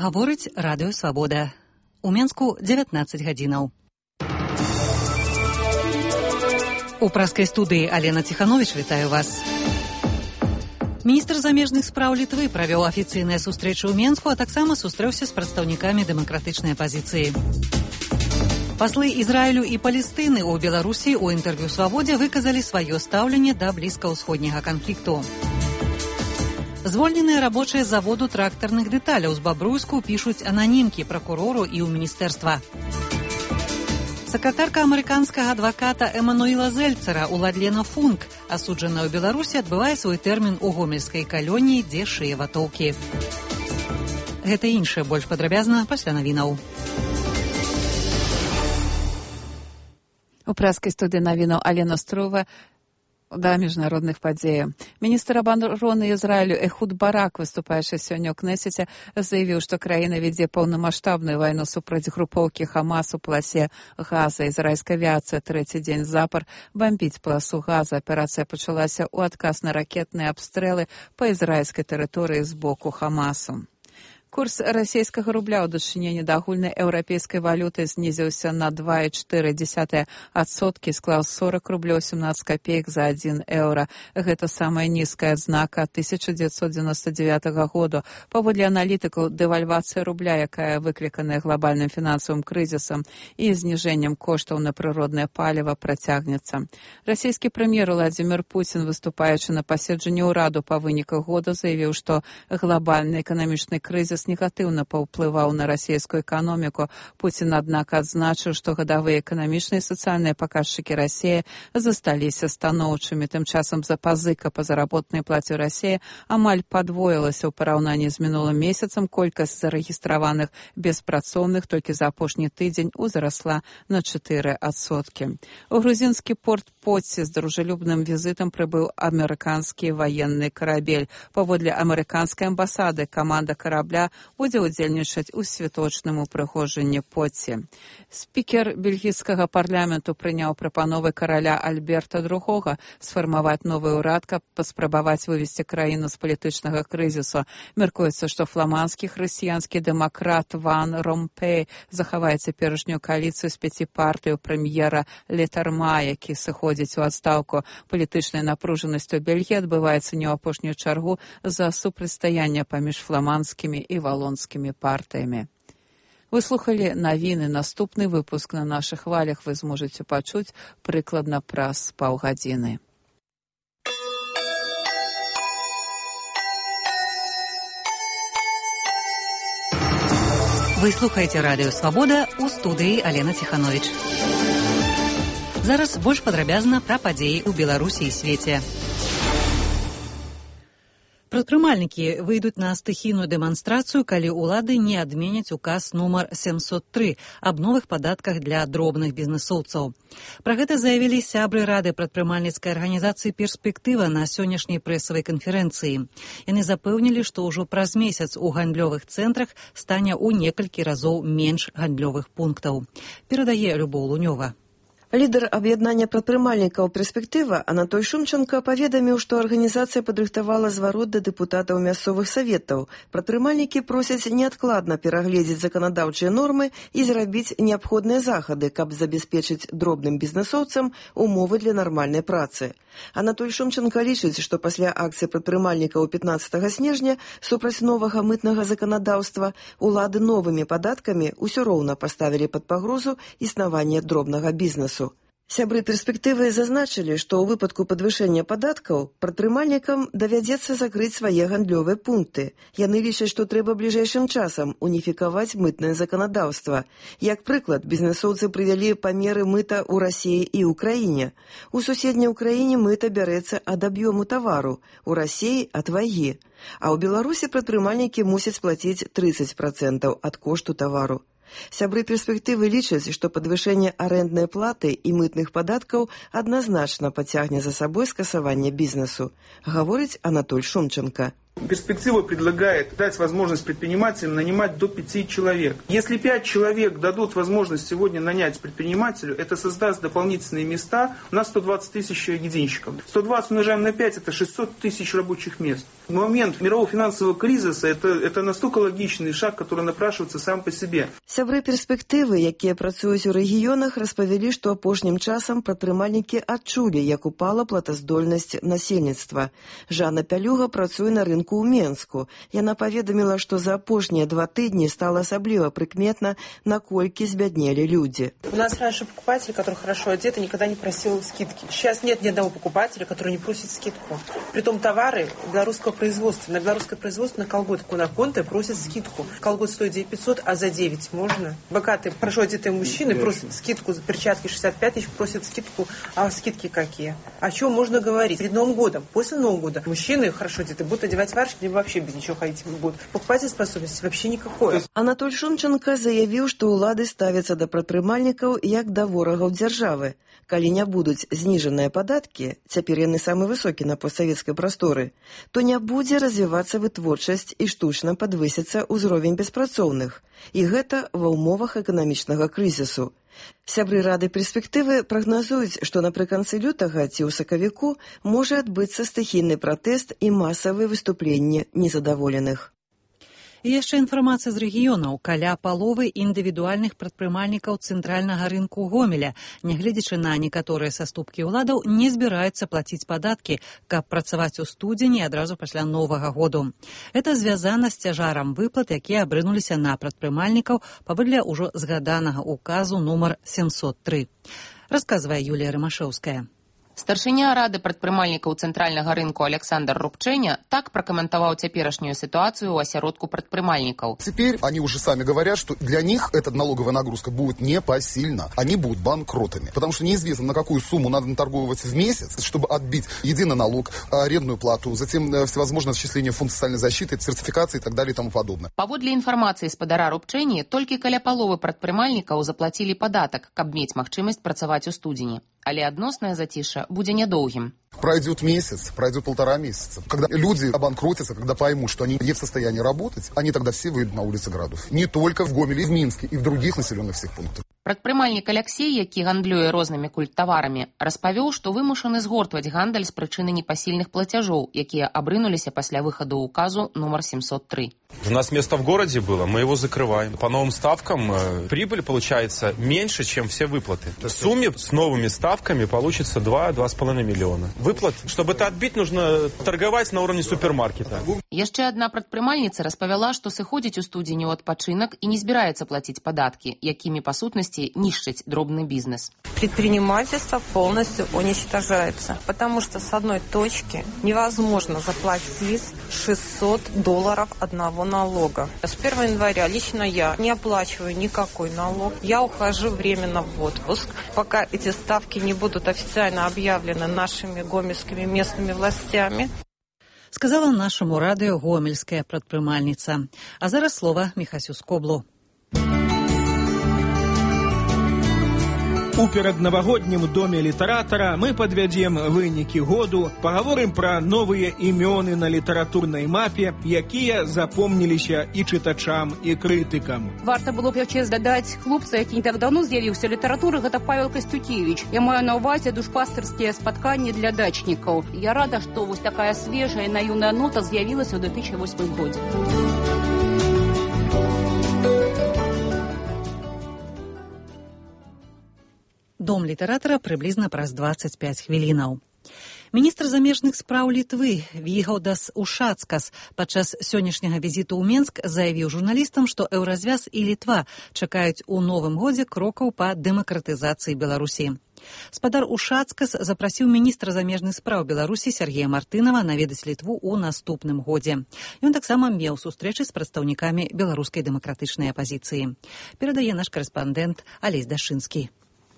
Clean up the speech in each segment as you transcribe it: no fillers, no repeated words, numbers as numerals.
Гаворыць радыё Свабода. У Менску 19 гадзінаў. У праскай студыі Алена Ціхановіч вітаю вас. Міністр замежных спраў Літвы правёў афіцыйныя сустрэчы ў Менску, а таксама сустрэўся з прадстаўнікамі дэмакратычнай апазіцыі. Паслы Ізраілю і Палестыны ў Беларусі ў інтэрв'ю Свабодзе выказалі сваё стаўленне да блізкаўсходняга канфлікту. Звольненыя рабочыя з заводу трактарных дэталяў з Бабруйску пішуць ананімкі пракурору і ў міністэрства. Сакратарка амерыканскага адваката Эмануіла Зельцера Уладлена Функ, асуджаная ў Беларусі, адбывае свой тэрмін у гомельскай калоніі, дзе шые ватоўкі. Гэта і іншае больш падрабязна пасля навінаў. У праскай студыі навінаў Алена Строва да міжнародных падзеяў. Міністр абароны Ізраілю Эхуд Барак, выступаючы сёння ў Кнесеце, заявіў, што краіна вядзе паўнамаштабную вайну супраць групоўкі Хамас у паласе Газа. Ізраільская авіацыя трэці дзень запар бамбіць паласу Газа. Аперацыя пачалася ў адказ на ракетныя абстрэлы па ізраільскай тэрыторыі з боку Хамасу. Курс расійскага рубля ў дачыненні да агульнай еўрапейскай валюты знізіўся на 2,4%, склаў 40 рублёў 17 копеек за 1 еўра. Гэта самая нізкая адзнака 1999 году. Паводле аналітыкаў, дэвальвацыя рубля, якая выкліканая глобальным фінансавым крызісам і зніжэннем коштаў на прыроднае паліва, працягнецца. Расійскі прэм'ер Владзімір Пуцін, выступаючы на паседжанні ўраду па выніках года, заявіў, што глобальны эканамічны крызіс негатыўна паўплываў на расійскую эканоміку. Пуцін, аднак, адзначыў, што гадавыя эканамічныя і сацыяльныя паказчыкі Расіі засталіся станоўчымі. Тым часам запазыка па заработнай плаце ў Расіі амаль падвоілася ў параўнанні з мінулым месяцам. Колькасць зарэгістраваных беспрацоўных толькі за апошні тыдзень узрасла на 4%. У грузінскі порт Поці з дружелюбным візітам прыбыў амерыканскі ваенны карабель. Паводле амерыканскай амбасады, каманда карабля будзе ўдзельнічаць у святочным упрыгожанні Поці. Спікер бельгійскага парламенту прыняў прапановы караля Альберта II сфармаваць новы ўрад, каб паспрабаваць вывесці краіну з палітычнага крызісу. Мяркуецца, што фламандскі хрысціянскі дэмакрат Ван Ромпей захавае цяперашнюю кааліцыю з 5 партыяў прэм'ера Летарма, які сыходзіць у адстаўку. Палітычная напружанасць у Бельгіі адбываецца не ў апошнюю чаргу з-за супрацьстаяння паміж фламандскімі і валонскімі партыямі. Вы слухалі навіны. Наступны выпуск на нашых хвалях вы зможаце пачуць прыкладна праз паўгадзіны. Вы слухаеце радыё Свабода, у студыі Алена Ціхановіч. Зараз больш падрабязна пра падзеі ў Беларусі і свеце. Прадпрымальнікі выйдуць на стыхійную дэманстрацыю, калі ўлады не адменяць указ нумар 703 аб новых падатках для дробных бізнэсоўцаў. Пра гэта заявілі сябры рады прадпрымальніцкай арганізацыі «Перспектыва» на сённяшняй прэсавай канферэнцыі. Яны запэўнілі, што ўжо праз месяц у гандлёвых цэнтрах стане ў некалькі разоў менш гандлёвых пунктаў. Перадае Любоў Лунёва. Лідар аб'яднання прадпрымальнікаў «Перспектыва» Анатоль Шумченко паведаміў, што арганізацыя падрыхтавала зварот да дэпутатаў мясцовых саветаў. Прадпрымальнікі просяць неадкладна перагледзець заканадаўчыя нормы і зрабіць неабходныя захады, каб забяспечыць дробным бізнэсоўцам умовы для нармальнай працы. Анатоль Шумченко лічыць, што пасля акцыі прадпрымальнікаў 15 снежня супраць новага мытнага заканадаўства улады новымі падаткамі ўсё роўна паставілі пад пагрозу існаванне дробнага бізнесу. Сябры «Перспектывы» зазначылі, што ў выпадку падвышэння падаткаў прадпрымальнікам давядзецца закрыць свае гандлёвыя пункты. Яны лічаць, што трэба бліжэйшым часам уніфікаваць мытнае заканадаўства. Як прыклад, бізнэсоўцы прывялі памеры мыта ў Расіі і ўкраіне. У суседняй Украіне мыта бярэцца ад аб'ёму тавару, у Расіі ад вагі. А ў Беларусі прадпрымальнікі мусяць плаціць 30% ад кошту тавару. Сябры «Перспектывы» лічаць, што падвышэнне арэнднай платы і мытных падаткаў адназначна пацягне за сабой скасаванне бізнесу, гаворыць Анатоль Шумченко. Перспектива предлагает дать возможность предпринимателям нанимать до 5 человек. Если 5 человек дадут возможность сегодня нанять предпринимателю, это создаст дополнительные места. У нас 120 тысяч единщиков. 120 умножаем на 5, это 600 тысяч рабочих мест. В момент мирового финансового кризиса это настолько логичный шаг, который напрашивается сам по себе. Сябры перспектывы, якія працуюць у рэгіёнах, распавялі, што апошнім часам прадпрымальнікі адчулі, як упала платаздольнасць насельніцтва. Жанна Пялюга працуе на рынку ў Менску. Яна паведаміла, што за апошнія 2 тыдні стала асабліва прыкметна, наколькі збяднелі людзі. У нас раньше покупатель, который хорошо одет, никогда не просил скидки. Сейчас нет ни одного покупателя, который не просит скидку. Притом товары белорусского производства. На белорусское производство на колготку на конте просят скидку. Колгот стоит 9500, а за 9 можно. Богатые, хорошо одетые мужчины просят скидку за перчатки 65 тысяч, просят скидку. А скидки какие? О чем можно говорить? Перед Новым годом, после Нового года мужчины хорошо одетые будут одевать варежки, либо вообще без ничего ходить не будут. Покупательной способности вообще никакой. Анатоль Шумченко заявіў, што ўлады ставяцца да прадпрымальнікаў як да ворагаў дзяржавы. Калі не будуць зніжаныя падаткі, цяпер яны самы высокі на постсавецкай прасторы, то не будзе развівацца вытворчасць і штучна падвысіцца ўзровень беспрацоўных. І гэта ва ўмовах эканамічнага крызісу. Сябры Рады перспектывы прагназуюць, што напрыканцы лютага ці ў сакавіку можа адбыцца стыхійны пратэст і масавыя выступленні незадаволеных. І яшчэ інфармацыя з рэгіёнаў. Каля паловы індывідуальных прадпрымальнікаў цэнтральнага рынку Гомеля, нягледзячы на некаторыя саступкі ўладаў, не збіраюцца плаціць падаткі, каб працаваць у студзені адразу пасля Новага году. Это звязана з цяжарам выплат, якія абрынуліся на прадпрымальнікаў паводле ўжо згаданага указу нумар 703. Расказвае Юлія Рымашэўская. Старшыня Рады прадпрымальнікаў цэнтральнага рынку Александр Рубчэня так прокомментовал теперешнюю ситуацию у осяродку прадпрымальников. Теперь они уже сами говорят, что для них эта налоговая нагрузка будет непосильна. Они будут банкротами. Потому что неизвестно, на какую сумму надо наторговывать в месяц, чтобы отбить единый налог, арендную плату, затем всевозможные отчисления в фонд социальной защиты, сертификации и так далее и тому подобное. Паводле інфармацыі спадара Рубчэні, толькі каля паловы прадпрымальнікаў заплатілі падатак, каб мець магчымасць працаваць у студзені. Але адноснае зацішша будзе нядоўгім. Пройдет месяц, пройдет 1,5 месяца. Когда люди обанкротятся, когда поймут, что они не в состоянии работать, они тогда все выйдут на улицы городов. Не только в Гомеле, и в Минске, и в других населенных всех пунктах. Прадпрымальнік Алексей, які гандлюе рознымі культтаварамі, распавёў, што вымушаны згортваць гандаль з прычыны непасільных плацяжоў, якія абрынуліся пасля выхаду указу номер 703. У нас место в городе было, мы его закрываем. По новым ставкам прибыль получается меньше, чем все выплаты. В сумме с новыми ставками получится 2-2,5 миллиона. Выплат, чтобы это отбить, нужно торговать на уровне супермаркета. Яшчэ адна прадпрымальніца распавяла, што сыходзіць у студзені ў адпачынак і не збіраецца плаціць падаткі, якімі па сутнасці нищить дробный бизнес. Предпринимательство полностью уничтожается, потому что с одной точки невозможно заплатить $600 одного налога. С 1 января лично я не оплачиваю никакой налог. Я ухожу временно в отпуск, пока эти ставки не будут официально объявлены нашими гомельскими местными властями. Сказала нашаму радыё гомельская прадпрымальніца. А зараз слова Міхасю Скоблу. У пераднавагоднім доме літаратара мы падвядзем вынікі году, пагаворым пра новыя імёны на літаратурнай мапе, якія запомніліся і чытачам, і крытыкам. Варта было б яшчэ здадаць хлопца, які не так даўно з'явіўся ў літаратуры, гэта Павел Касцюкевіч. Я маю на ўвазе душпастарскія спатканні для дачнікаў. Я рада, што вось такая свежая наіўная нота з'явілася ў 2008 годзе. Дом літаратара прыблізна праз 25 хвілінаў. Міністр замежных спраў Літвы Вігаўдас Ушацкас падчас сённяшняга візіту ў Менск заявіў журналістам, што Еўразвяз і Літва чакаюць у новым годзе крокаў па дэмакратызацыі Беларусі. Спадар Ушацкас запрасіў міністра замежных спраў Беларусі Сергея Мартынова наведаць Літву ў наступным годзе. Ён таксама меў сустрэчы з прадстаўнікамі беларускай дэмакратычнай апазіцыі. Перадае наш карэспандэнт Алесь Дашынскі.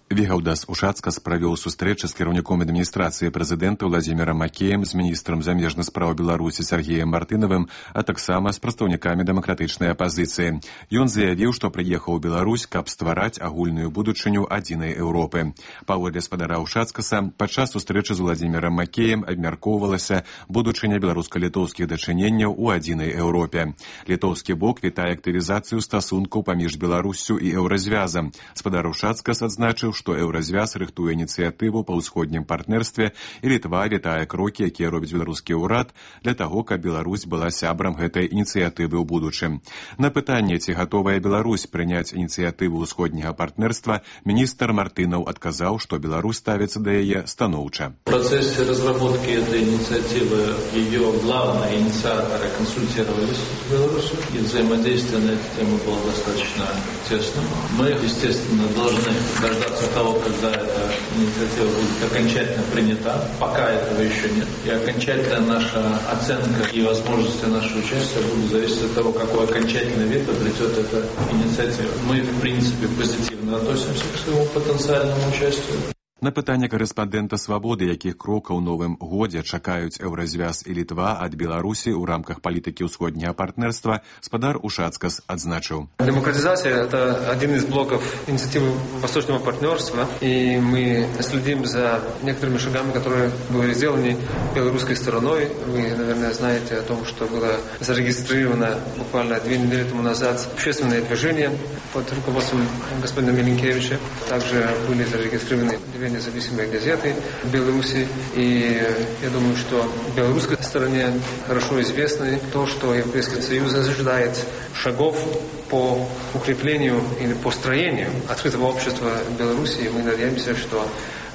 Вігаўдас Ушацкас правёў сустрэчы з кіраўніком адміністрацыі прэзідэнта Владзімірам Макеем, з міністрам замежных спраў Беларусі Сергеем Мартынавым, а таксама з прадстаўнікамі дэмакратычнай апазіцыі. Ён заявіў, што прыехаў у Беларусь, каб ствараць агульную будучыню адзінай Еўропы. Паводле спадара Ушацкаса, падчас сустрэчы з Владзімірам Макеем абмяркоўвалася будучыня беларуска-літоўскіх дачыненняў у адзінай Еўропе. Літоўскі бок вітае актывізацыю стасункаў паміж Беларуссю і Еўразвязам. Спадар Ушацкас адзначыў, што Еўразвяз рыхтуе ініцыятыву па ўсходнім партнерстве, і Літва вітае крокі, якія робіць беларускі ўрад для таго, каб Беларусь была сябрам гэтай ініцыятывы ў будучым. На пытанне, ці гатовая Беларусь прыняць ініцыятыву ўсходняга партнерства, міністр Мартынаў адказаў, што Беларусь ставіцца да яе станоўча. В процессе разработки этой инициативы ее главные инициаторы консультировались с Беларусью, и взаимодействие на эту тему было достаточно тесным. Мы, естественно, должны дождаться того, когда эта инициатива будет окончательно принята. Пока этого еще нет. И окончательная наша оценка и возможности нашего участия будут зависеть от того, какой окончательный вид обретет эта инициатива. Мы, в принципе, позитивно относимся к своему потенциальному участию. На пытанне корэспандэнта «Свабоды», якіх крокаў у новым годзе чакаюць Еўразвяз і Літва ад Беларусі ў рамках палітыкі ўсходняга партнерства, спадар Ушацкас адзначыў. Демократизация – это один из блоков инициативы Восточного партнерства, и мы следим за некоторыми шагами, которые были сделаны белорусской стороной. Вы, наверное, знаете о том, что было зарегистрировано буквально 2 недели тому назад общественное движение под руководством господина Миленкевича. Также были зарегистрированы 2 независимые газеты в Беларуси. И я думаю, что в белорусской стороне хорошо известно то, что Европейский Союз ожидает шагов по укреплению или построению открытого общества в Беларуси. И мы надеемся, что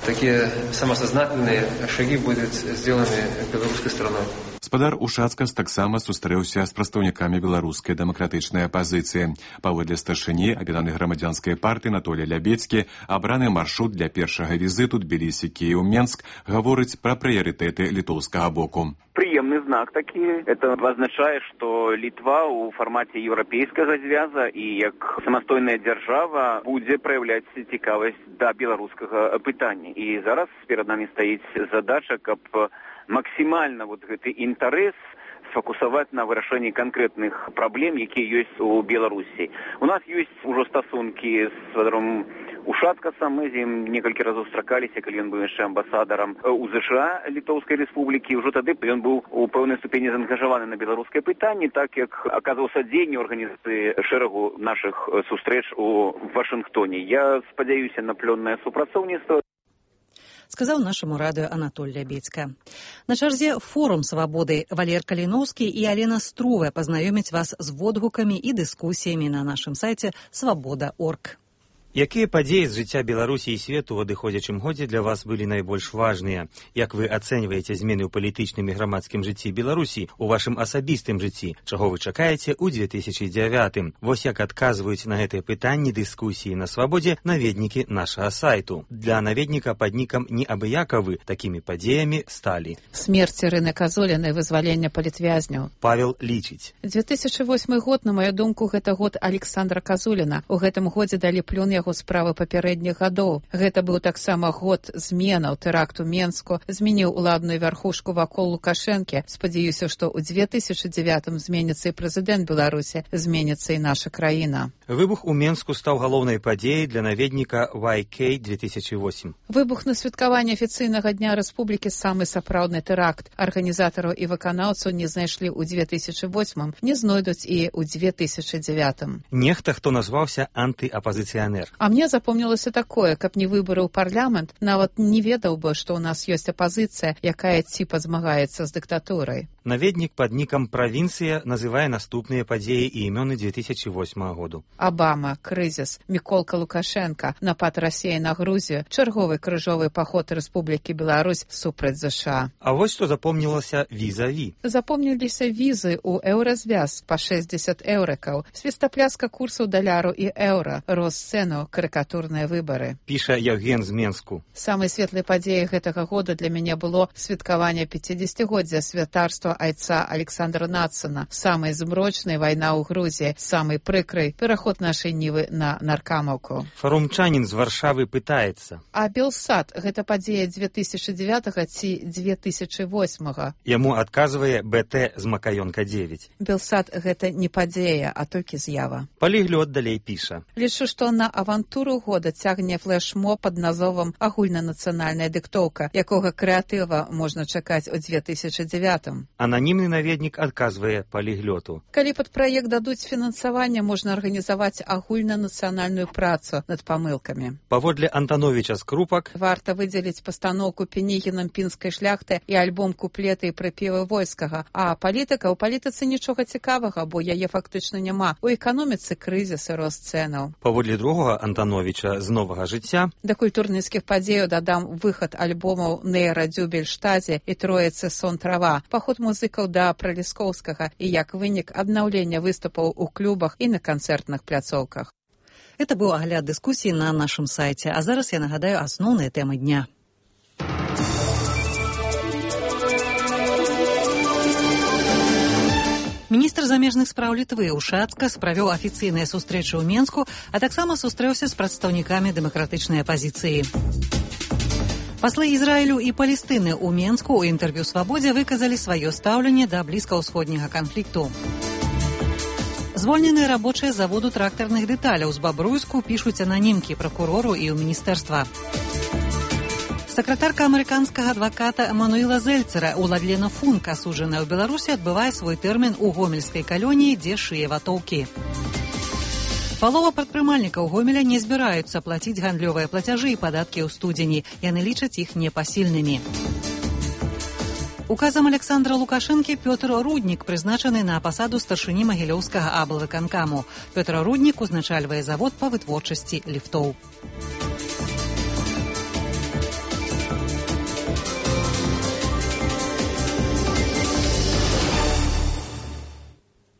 такие самосознательные шаги будут сделаны белорусской стороной. Спадар Ушацкас таксама сустрэўся з прадстаўнікамі беларускай дэмакратычнай апазіцыі. Паводле старшыні аб'яднанай грамадзянскай партыі Анатолія Лябецкі, абраны маршрут для першага візіту Тбілісі, Кіеў, Менск гаворыць пра прыярытэты літоўскага боку. Приемный знак такі. Это означае, што Літва ў фармаце еўрапейскага звяза і як самастойная дзяржава будзе праяўляць цікавасць да беларускага пытання. І зараз перад намі стаіць задача, каб максимально вот гэты інтарэс сфокусаваць на вырашэнні канкрэтных праблем, якія ёсць у Беларусі. У нас ёсць ужо стасункі з спадаром Ушацкасам. Мы з ім некалькі разоў сустракаліся, калі ён быў яшчэ амбасадарам у ЗША Літоўскай рэспублікі. Ужо тады ён быў у пэўнай ступені заангажаваны на беларускае пытанне, так як аказваў садзейнне ў арганізацыі шэрагу нашых сустрэч у Вашынгтоне. Я спадзяюся на плённае супрацоўніцтва. Сказаў нашаму радыё Анатоль Лябецька. На чарзе форум «Свабоды». Валер Каліноўскі і Алена Струве пазнаёмяць вас з водгукамі і дыскусіямі на нашым сайце «Свабода.орг». Якія падзеі з жыцця Беларусі і свету ў адыходзячым годзе для вас былі найбольш важныя? Як вы ацэньваеце змены ў палітычным і грамадскім жыцці Беларусі, у вашым асабістым жыцці? Чаго вы чакаеце ў 2009-м? Вось як адказваюць на гэтыя пытанні дыскусіі на Свабодзе наведнікі нашага сайту. Для наведніка пад нікам неабыякавы такімі падзеямі сталі. Смерць Ірыны Казуліной, вызвалення палітвязняў. Павел лічыць. 2008 год, на маю думку, гэта год Александра Казуліна. У гэтым годзе далі плён яго справы папярэдніх гадоў. Гэта быў таксама год зменаў, тэракту Менску, змяніў уладную вярхушку вакол Лукашэнкі. Спадзяюся, што ў 2009-м зменіцца і прэзідэнт Беларусі, зменіцца і наша краіна. Выбух у Менску стаў галоўнай падзеяй для наведніка YK-2008. Выбух на святкаванне афіцыйнага дня рэспублікі самы сапраўдны тэракт. Арганізатараў і выканаўцаў не знайшлі ў 2008-м, не знойдуць і ў 2009-м. Нехта, хто назваўся антыапазіцыянер. А мне запомнілася такое, каб не выбары ў парламент, нават не ведаў бы, што ў нас ёсць апазіцыя, якая ціпа змагаецца з дыктатурай. Наведнік пад нікам «Правінцыя» называе наступныя падзеі і імёны 2008 году. Абама, крызіс, Міколка Лукашенка, напад Расіі на Грузію, чарговы крыжовы паход Рэспублікі Беларусь супраць ЗША. А вось што запомнілася візаві. Запомніліся візы ў еўразвяз па 60 еўрыкаў, свістапляска курсаў даляру і еўра, рост цэнаў Путіну карыкатурныя выбары. Піша Евген з Менску. Самай светлай падзеяй гэтага года для мяне было святкаванне 50-годдзя святарства айца Александра Нацана, самай змрочнай вайна ў Грузіі, самай прыкрай пераход нашай нівы на наркамаўку. Фарумчанін з Варшавы пытаецца. А Белсад – гэта падзея 2009 ці 2008? Яму адказвае БТ з Макаёнка 9. Белсад – гэта не падзея, а толькі з'ява. Паліглёт далей піша. Лічу, што на авантуру года цягне флешмо пад назовам «Агульнанацыянальная дыктоўка», якога крэатыва можна чакаць у 2009. Ананімны наведнік адказвае паліглёту. Калі пад праект дадуць фінансаванне, можна арганізаваць агульнанацыянальную працу над памылкамі. Паводле Антановича з Крупак варта выдзеліць пастаноўку Пенігінам пінскай шляхты і альбом куплеты і прыпевы войскага. А палітыка, у палітыцы нічога цікавага, бо яе фактычна няма. У эканоміцы крызіс і рост цэнаў. Паводле другога Антановича з Новага жыцця да культурніцкіх падзеяў дадам выхад альбомаў Нейра Дзюбельштазе і Троіцы Сон трава, паход музыкаў да Праліскоўскага і як вынік аднаўлення выступаў у клубах і на канцэртных пляцоўках. Это был огляд дискуссии на нашем сайте. А зараз я нагадаю основные темы дня. Міністр замежных спраў Літвы Ушацкас правёў афіцыйныя сустрэчы ў Менску, а таксама сустрэўся з прадстаўнікамі дэмакратычнай апазіцыі. Паслы Ізраілю і Палестыны ў Менску ў інтэрв'ю «Свабодзе» выказалі сваё стаўленне да блізкаўсходняга канфлікту. Звольненыя рабочыя заводу трактарных дэталяў з Бабруйску пішуць ананімкі пракурору і ў міністэрства. Сакратарка амерыканскага адваката Эмануэла Зельцера Уладлена Функ, асуджаная ў Беларусі, адбывае свой тэрмін у гомельскай калоніі, дзе шые ватоўкі. Палова прадпрымальнікаў Гомеля не збіраюцца плаціць гандлёвыя плацяжы і падаткі ў студзені. Яны лічаць іх непасільнымі. Указам Александра Лукашэнкі Пётр Руднік прызначаны на пасаду старшыні Магілёўскага аблвыканкаму. Пётр Руднік узначальвае завод па вытворчасці ліфтоў.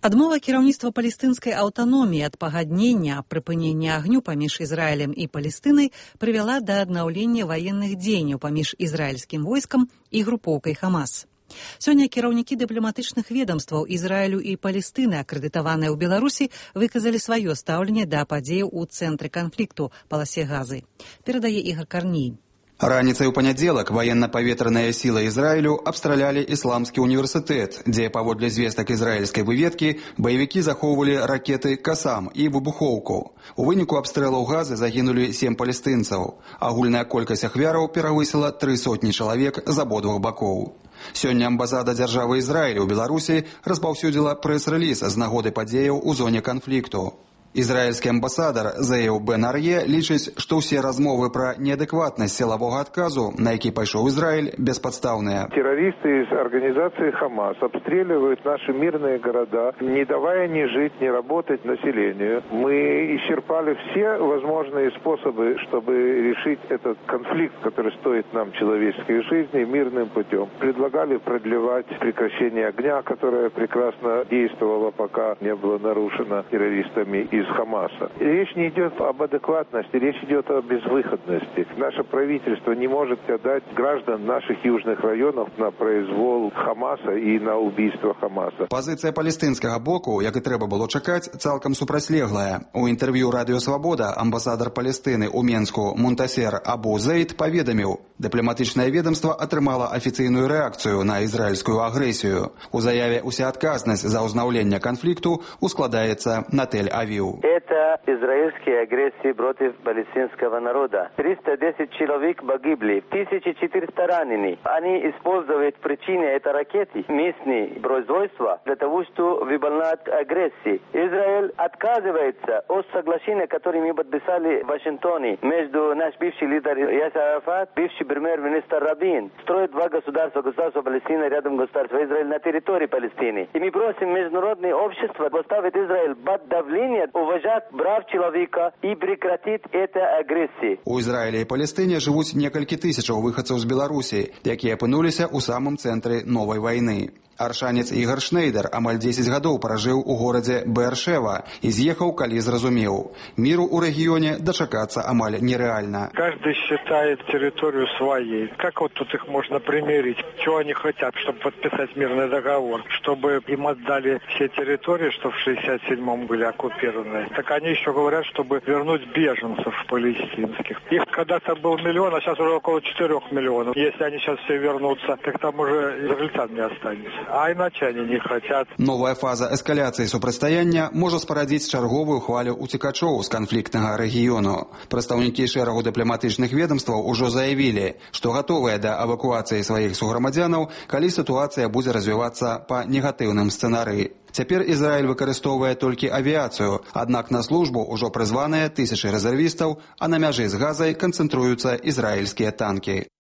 Адмова кіраўніцтва палестынскай аўтаноміі ад пагаднення аб прыпыненні агню паміж Ізраілем і Палестынай прывяла да аднаўлення ваенных дзеянняў паміж ізраільскім войскам і групоўкай Хамас. Сёння кіраўнікі дыпламатычных ведамстваў Ізраілю і Палестыны, акрэдытаваныя ў Беларусі, выказалі сваё стаўленне да падзеяў у цэнтры канфлікту паласе Газы. Перадае Ігор Карній. Раніцай у панядзелак ваенна-паветраная сіла Ізраілю абстралялі ісламскі універсітэт, дзе, паводле звестак ізраільскай выведкі, баевікі захоўвалі ракеты «Касам» і выбухоўку. У выніку абстрэлаў Газы загінулі 7 палестынцаў. Агульная колькасць ахвяраў перавысіла 300 чалавек з абодвух бакоў. Сёння амбасада дзяржавы Ізраілю ў Беларусі распаўсюдзіла прэс-рэліз з нагоды падзеяў у зоне канфлікту. Израильский амбассадор Зею Бен Арье лічыць, што ўсе размовы пра неадэкватнасць сілавога адказу, на які пайшоў Израиль, бесподставные. Террористы из организации Хамас обстреливают наши мирные города, не давая ни жить, ни работать населению. Мы исчерпали все возможные способы, чтобы решить этот конфликт, который стоит нам человеческой жизни, мирным путем. Предлагали продлевать прекращение огня, которое прекрасно действовало, пока не было нарушено террористами из Хамаса. Речь не идет об адекватности, речь идет о безвыходности. Наше правительство не может отдать граждан наших южных районов на произвол Хамаса и на убийство Хамаса. Пазіцыя палестынскага боку, як і трэба было чакаць, цалкам супрацьлеглая. У інтэрв'ю «Радыё Свабода» амбасадар Палестыны ў Менску Мунтасер Абу Зейд паведаміў, дыпламатычнае ведомство атрымала афіцыйную рэакцыю на ізраільскую агрэсію. У заяве ўся адказнасць за ўзнаўленне канфлікту ускладаецца на Тель-Авив. Это израильские агрессии против палестинского народа. 310 человек погибли, 1400 ранены. Они используют причины этой ракеты, местные производства, для того, чтобы выполнять агрессии. Израиль отказывается от соглашения, которое мы подписали в Вашингтоне между наш бывший лидер Ясер Арафат, бывший премьер-министр Рабин. Строят два государства, государство Палестина рядом государство Израиль на территории Палестины. И мы просим международное общество поставить Израиль под давление, уважать прав человека и прекратить эту агрессию. У Израиля и Палестине жывуць некалькі тысячаў выхадцаў з Беларусі, якія апынуліся ў самым цэнтры новай вайны. Аршанец Ігор Шнейдер амаль 10 гадоў пражыў у горадзе Беэршева і з'ехаў, калі зразумеў. Міру ў рэгіёне дачакацца амаль нереально. Каждый считает территорию своей. Как вот тут их можно примирить? Чего они хотят, чтобы подписать мирный договор? Чтобы им отдали все территории, что в 67-м были оккупированы. Так они еще говорят, чтобы вернуть беженцев палестинских. Их когда-то был 1 миллион, а сейчас уже около 4 миллионов. Если они сейчас все вернутся, так там уже израильтян не останется. А иначе они не хотят. Новая фаза эскаляцыі супрацьстаяння можа спарадзіць чарговую хвалю уцекачоў з канфліктнага рэгіёну. Прадстаўнікі шэрагу дыпламатычных ведомстваў ужо заявілі, што гатовыя да эвакуацыі сваіх суграмадзянаў, калі сітуацыя будзе развівацца па негатыўным сцэнарыі. Цяпер Ізраіль выкарыстоўвае толькі авіяцыю, аднак на службу ўжо прызваныя тысячы рэзервістаў, а на мяжы з Газай канцэнтруюцца ізраільскія танкі.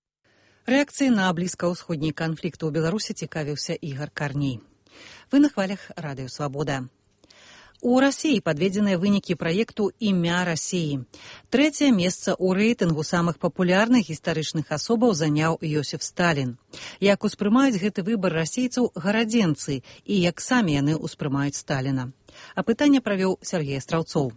Рэакцыі на блізкаўсходні канфлікт у Беларусі цікавіўся Ігар Карней. Вы на хвалях Радыё Свабода. У Расіі падведзеныя вынікі праекту «Імя Расіі». 3е месца ў рэйтынгу самых папулярных гістарычных асобаў заняў Йосіф Сталін. Як успрымаюць гэты выбар расійцаў гарадзенцы і як самі яны ўспрымаюць Сталіна? Апытанне правёў Сергей Астраўцоў.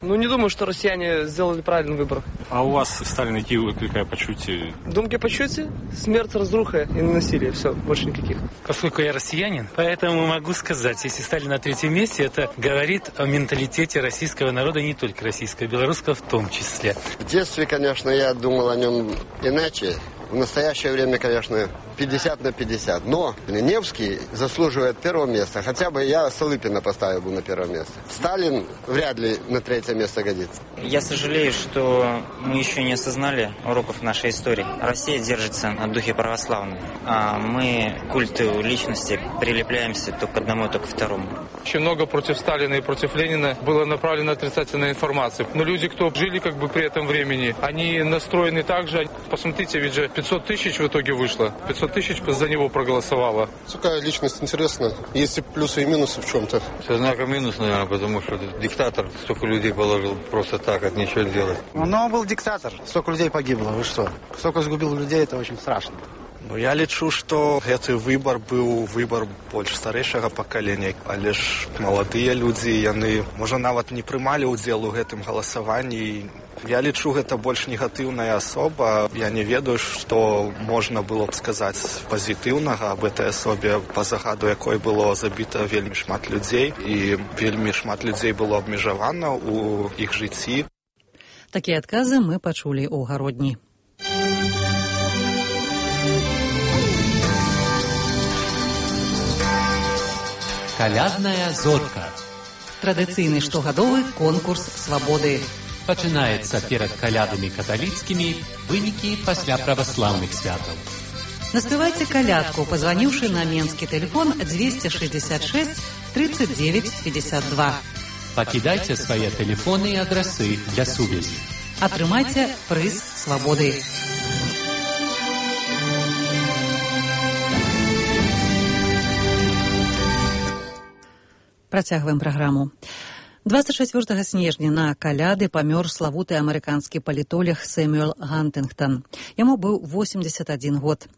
Не думаю, что россияне сделали правильный выбор. А у вас Сталин які выкликає почуття? Думки почуття? Смерть, разруха и насилие. Все, больше никаких. Поскольку я россиянин, поэтому могу сказать, если Сталин на 3-м месте, это говорит о менталитете российского народа, не только российского, белорусского в том числе. В детстве, конечно, я думал о нем иначе. В настоящее время, конечно, 50/50. Но Невский заслуживает 1-го места. Хотя бы я Столыпина поставил бы на 1-е место. Сталин вряд ли на 3-е место годится. Я сожалею, что мы еще не осознали уроков нашей истории. Россия держится на духе православной. А мы к культу личности прилепляемся то к одному, то к второму. Очень много против Сталина и против Ленина было направлено отрицательная информация. Но люди, кто жили при этом времени, они настроены так же. Посмотрите, ведь же 500 тысяч в итоге вышло. 500 тысяч за него проголосовало. Такая личность интересна. Есть и плюсы, и минусы в чем-то. Со знаком минус, наверное, потому что диктатор столько людей положил просто так, от ничего делать. Но он был диктатор. Столько людей погибло. Вы что? Столько сгубил людей, это очень страшно. Я лічу, што гэты выбар быў выбар больш старэйшага пакалення, але ж маладыя людзі, яны, можа, нават не прымалі ўдзел у гэтым галасаванні. Я лічу, гэта больш негатыўная асоба. Я не ведаю, што можна было б сказаць пазітыўнага аб гэтай асобе, па загаду якой было забіта вельмі шмат людзей, і вельмі шмат людзей было абмежавана ў іх жыцці. Такія адказы мы пачулі ў Гародні. Калядная зорка. Традыцыйны штогадовы конкурс свабоды. Пачынаецца перад калядамі каталіцкімі, вынікі пасля праваслаўных святаў. Наспявайце калядку, пазваніўшы на менскі тэлефон 266 39 52. Пакідайце свае тэлефоны і адрасы для сувязі. Атрымайце прыз свабоды. Працягваем праграму. 24 снежня на каляды памёр славуты амерыканскі палітолог Сэмюэл Гантынгтон. Яму быў 81 год.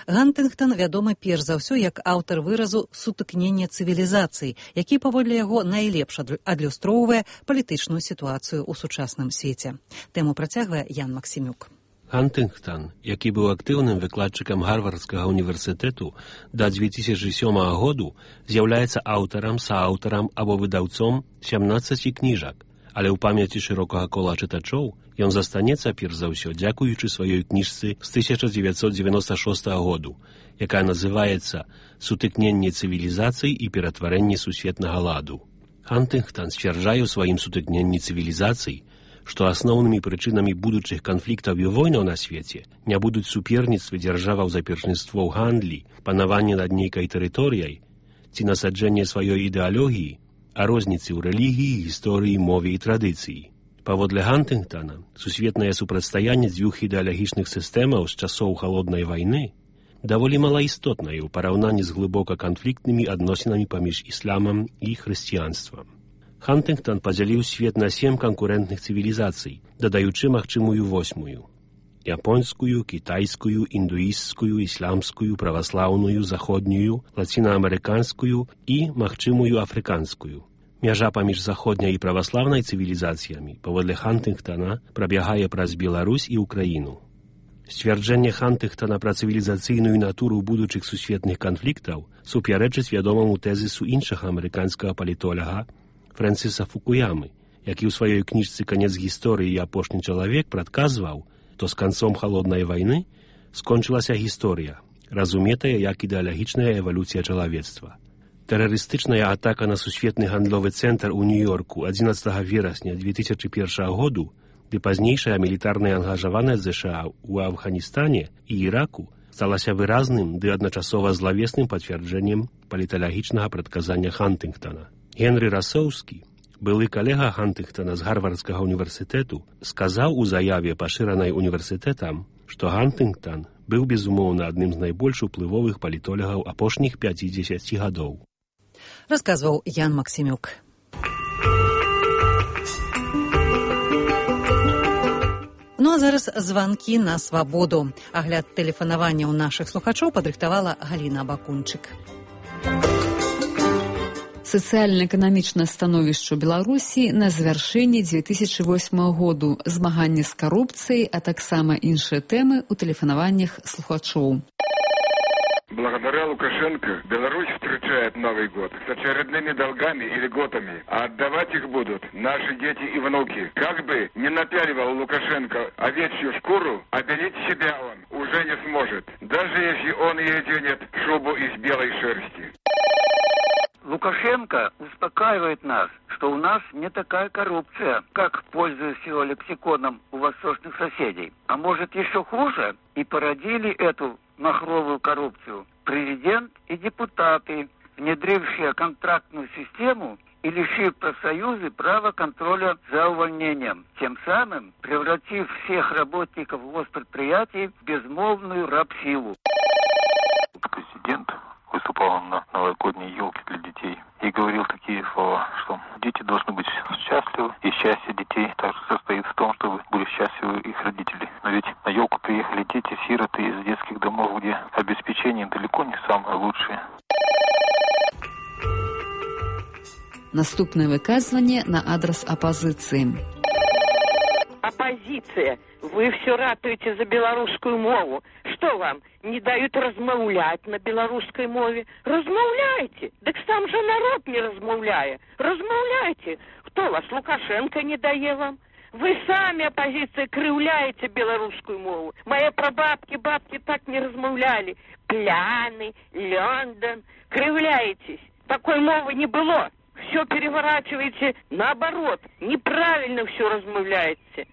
Гантынгтон вядомы перш за ўсё як аўтар выразу «сутыкнення цывілізацый», які, паводле яго, найлепш адлюстроўвае палітычную сітуацыю ў сучасным свеце. Тэму працягвае Ян Максімюк. Гантынгтон, які быў актыўным выкладчыкам Гарвардскага універсітэту да 2007 году, з'яўляецца аўтарам, сааўтарам або выдаўцом 17 кніжак, але ў памяці шырокага кола чытачоў ён застанецца перш за ўсё дзякуючы сваёй кніжцы з 1996 году, якая называецца «Сутыкненне цывілізацый і ператварэнне сусветнага ладу». Гантынгтон сцвярджае ў сваім «Сутыкненні цывілізацый», што асноўнымі прычынамі будучых канфліктаў і войнаў на свеце не будуць суперніцтвы дзяржаваў за першынство ў гандлі, панаванне над нейкай тэрыторыяй ці насаджэнне сваёй ідэалогіі, а розніцы ў рэлігіі, гісторыі, мове і традыцыі. Паводле Гантынгтона, сусветнае супрацьстаянне дзвюх ідэалагічных сістэмаў з часоў халоднай вайны даволі малаістотнае ў параўнанні з глыбока канфліктнымі адносінамі паміж ісламам і хрысціянствам. Хантынгтон падзяліў свет на 7 канкурэнтных цывілізацый, дадаючы магчымую 8-ю. японскую, китайскую, индуистскую, исламскую, православную, заходнюю, латиноамериканскую и, магчымую, афрыканскую. Мяжа паміж заходняй і праваслаўнай цывілізацыямі паводле Хантынгтона прабягае праз Беларусь і Украіну. Сцвярджэнне Хантынгтона пра цывілізацыйную натуру будучых сусветных канфліктаў супярэчыць вядомаму тэзісу іншага амерыканскага палітолага Фрэнсіса Фукуямы, які ў сваёй кніжцы «Канец гісторыі і апошні чалавек» прадказваў, то з канцом халоднай вайны скончылася гісторыя, разуметая як ідэалагічная эвалюцыя чалавецтва. Тэрарыстычная атака на сусветны гандловы цэнтр у Нью-Йорку 11 верасня 2001 году ды пазнейшая мілітарная ангажаванасць США ў Афганістане і Іраку сталася выразным ды адначасова злавесным пацвярджэннем паліталагічнага прадказання Хантынгтона. Генры Расоўскі, былы калега Хантынгтона з Гарвардскага універсітэту, сказаў у заяве, пашыранай універсітэтам, што Хантынгтон быў безумоўна адным з найбольш уплывовых палітолагаў апошніх 50 гадоў. Расказваў Ян Максімюк. Ну а зараз званкі на свабоду. Агляд тэлефанавання ў нашых слухачоў падрыхтавала Галіна Бакунчык. Сацыяльна-эканамічнае становішча Беларусі на завяршэнні 2008 году, змаганне з карупцыяй, а таксама іншыя тэмы ў тэлефанаваннях слухачоў. Благодаря Лукашенко Беларусь встречает Новый год с очередными долгами и льготами, а отдавать их будут наши дети и внуки. Как бы не напяливал Лукашенко овечью шкуру, обелить себя он уже не сможет, даже если он и оденет шубу из белой шерсти. Лукашенко успокаивает нас, что у нас не такая коррупция, как, пользуясь его лексиконом, у восточных соседей. А может еще хуже, и породили эту махровую коррупцию президент и депутаты, внедрившие контрактную систему и лишив профсоюзы права контроля за увольнением, тем самым превратив всех работников госпредприятий в безмолвную рабсилу. Президент выступал на новогодней елке для детей и говорил такие слова, что дети должны быть счастливы, и счастье детей также состоит в том, чтобы были счастливы их родители. Но ведь на елку приехали дети, сироты из детских домов, где обеспечение далеко не самое лучшее. Наступное выказывание на адрес оппозиции. Оппозиция, вы все ратуете за белорусскую мову. Что вам, не дают размовлять на белорусской мове? Размовляйте! Так сам же народ не размовляя. Размовляйте! Кто вас, Лукашенко, не дає вам? Вы сами, оппозиция, кривляете белорусскую мову. Мои прабабки, бабки так не размовляли. Пляны, Лондон. Кривляетесь. Такой мовы не было. Все переворачиваете наоборот. Неправильно все размовляете.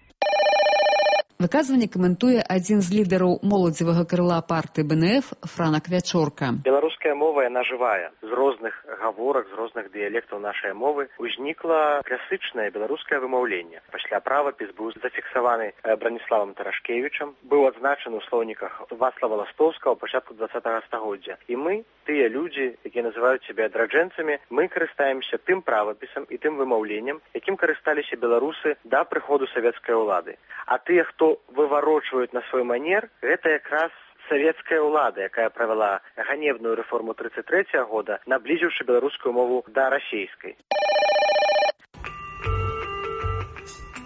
Выказванне каментуе адзін з лідараў моладзевага крыла партыі БНФ Франак Вячорка. Беларуская мова, яна жывая. З розных гаворак, з розных дыялектаў нашай мовы узнікла класычнае беларускае вымаўленне. Пасля правапіс быў зафіксаваны Браніславам Тарашкевічам, быў адзначаны ў слоўніках Вацлава Ластоўскага ў пачатку 20-го стагоддзя. І мы, тыя людзі, якія называюць сябе адраджэнцамі, мы карыстаемся тым правапісам і тым вымаўленнем, якім карысталіся беларусы да прыходу савецкай улады. А тыя, хто выварочваюць на свой манер, гэта якраз савецкая ўлада, якая правяла ганебную рэформу 33-го года, наблізіўшы беларускую мову да расейскай.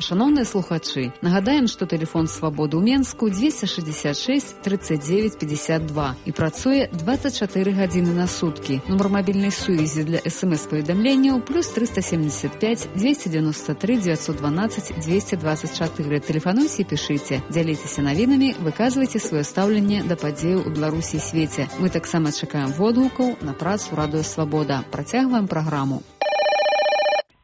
Шановныя слухачы, нагадаем, што тэлефон свабоды ў Менску 266 39 52 і працуе 24 гадзіны на суткі. Нумар мабільнай сувязі для СМС-паведамленняў плюс 375 293 912 224. Тэлефануйце і пішыце, дзяліцеся навінамі, выказвайце сваё стаўленне да падзеяў у Беларусі і свеце. Мы таксама чакаем водгукаў на працу Радыё Свабода. Працягваем праграму.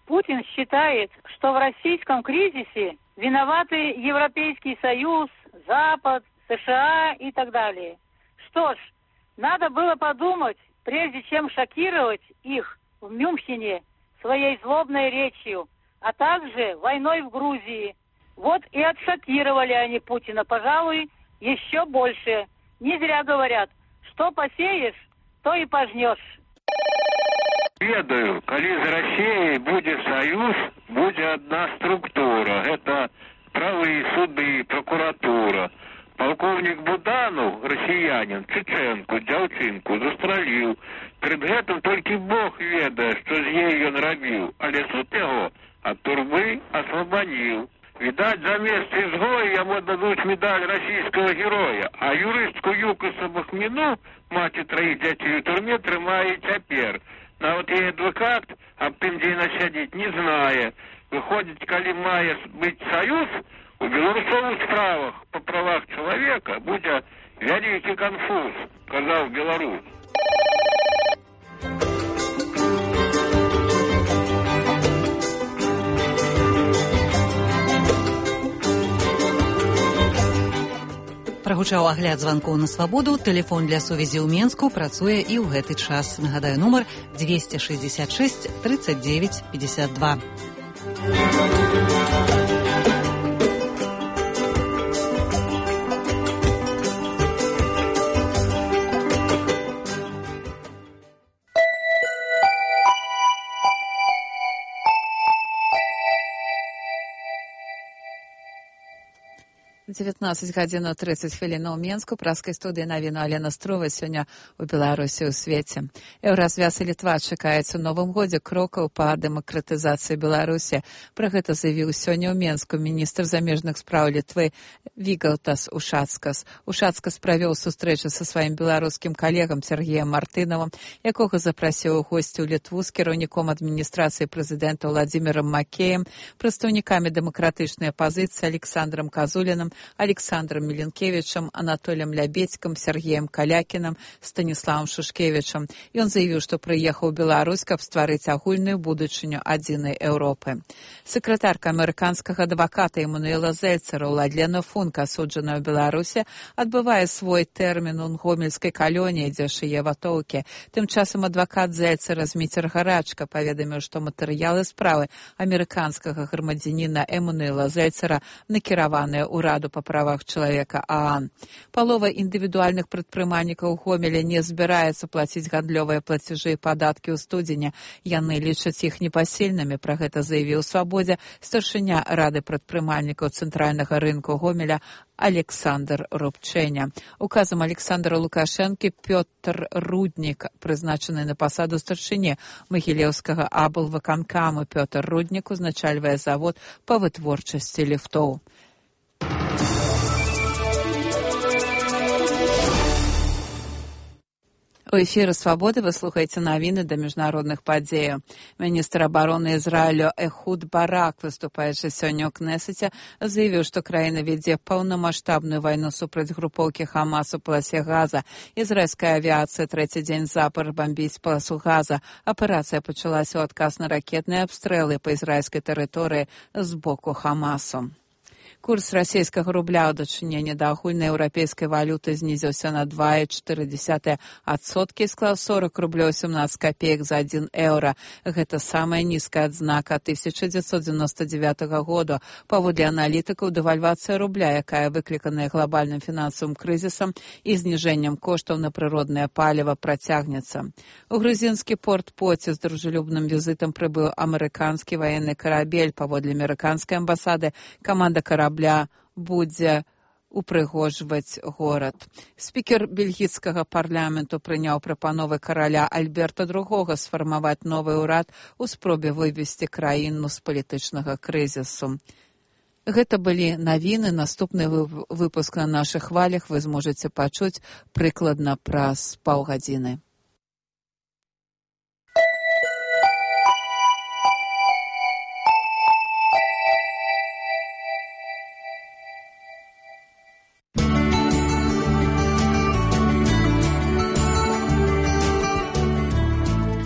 Путин считает, что в российском кризисе виноваты Европейский Союз, Запад, США и так далее. Что ж, надо было подумать, прежде чем шокировать их в Мюнхене своей злобной речью, а также войной в Грузии. Вот и отшокировали они Путина, пожалуй, еще больше. Не зря говорят, что посеешь, то и пожнешь. Ведаю, калі з Расіяй будзе саюз, будзе адна структура. Гэта правы, суды, прокуратура. Полковник Буданов, россиянин, чеченку, дзяўчынку, застраліў. Перед гэтым толькі Бог ведае, што з ей ён рабіў, але суд яго ад турбы асвабадзіў. Відаць, за место изгоя яму дадуць медаль российского героя, а юрыстку Юкаса Бахміну, маці троих дзяцей у турме, трымае цяпер. Нават яе адвокат аб тым, дзе яна сядзіць, не знае. Выходзіць, калі мае быць саюз, у беларусовых справах по правах человека будзе вялікі конфуз, казаў беларус. Прагучаў агляд званкоў на свабоду. Тэлефон для сувязі ў Менску працуе і ў гэты час. Нагадаю, нумар 266 39 52. Девятнадцать гадзін 30 хвілінаў у Менску. Праскай студыі навіну Алена Строва сёння ў Беларусі ў свеце. Еўразвяз і Літва чакаюць у новым годзе крокаў па дэмакратызацыі Беларусі. Пра гэта заявіў сёння ў Менску міністр замежных спраў Літвы Вігалтас Ушацкас. Ушацкас правёў сустрэчу са сваім беларускім калегам Сергеем Мартынавым, якога запрасіў у госці ў Літву з кіраўніком адміністрацыі прэзідэнта Владзімірам Макеем, прадстаўнікамі дэмакратычнай апазіцыі Александрам Казулінам, Александром Миленкевичем, Анатолием Лябедьком, Сергеем Калякиным, Станиславом Шушкевичем. Ён заявіў, што прыехаў у Беларусь, каб стварыць агульную будучыню адзінай Еўропы. Сакратарка амерыканскага адваката Эммануэла Зельцера Уладлена Функа, асуджаная ў Беларусі, адбывае свой тэрмін у гомельскай калоніі, дзе шые ватоўкі. Тым часам адвакат Зельцера Зміцер Гарачка паведаміў, што матэрыялы справы амерыканскага грамадзяніна Эммануэла Зельцера накіраваныя ў Раду па правах чалавека ААН. Палова індывідуальных прадпрымальнікаў Гомеля не збіраецца плаціць гандлёвыя плацяжы і падаткі ў студзені. Яны лічаць іх непасільнымі. Пра гэта заявіў Свабодзе старшыня Рады прадпрымальнікаў цэнтральнага рынку Гомеля Александр Рубчэня. Указам Александра Лукашэнкі Пётр Руднік, прызначаны на пасаду старшыні Магілеўскага аблвыканкаму. Пётр Руднік узначальвае завод па вытворчасці ліфтоў. У эфіры «Свабоды» вы слухаеце навіны да міжнародных падзеяў. Міністр абароны Ізраілю Эхуд Барак, выступаючы сёння ў Кнесеце, заявіў, што краіна вядзе паўнамаштабную вайну супраць групоўкі Хамас у паласе Газа. Ізраільская авіацыя трэці дзень запар бамбіць паласу Газа. Аперацыя пачалася ў адказ на ракетныя абстрэлы па ізраільскай тэрыторыі з боку Хамасу. Курс расійскага рубля ў дачыненні да агульнай еўрапейскай валюты знізіўся на 2,4% і склаў 40 рублёў 17 копеек за 1 еўра. Гэта самая нізкая адзнака 1999 года. Паводле аналітыкаў, дэвальвацыя рубля, якая выкліканая глобальным фінансавым крызісам і зніжэннем коштаў на прыроднае паліва, працягнецца. У грузінскі порт Поці з дружелюбным візітам прыбыў амерыканскі ваенны карабель. Паводле амерыканскай амбасады, каманда карабля будзе упрыгожваць горад. Спікер бельгійскага парламенту прыняў прапановы караля Альберта II сфармаваць новы ўрад у спробе вывесці краіну з палітычнага крызісу. Гэта былі навіны. Наступны выпуск на нашых хвалях вы зможаце пачуць прыкладна праз паўгадзіны.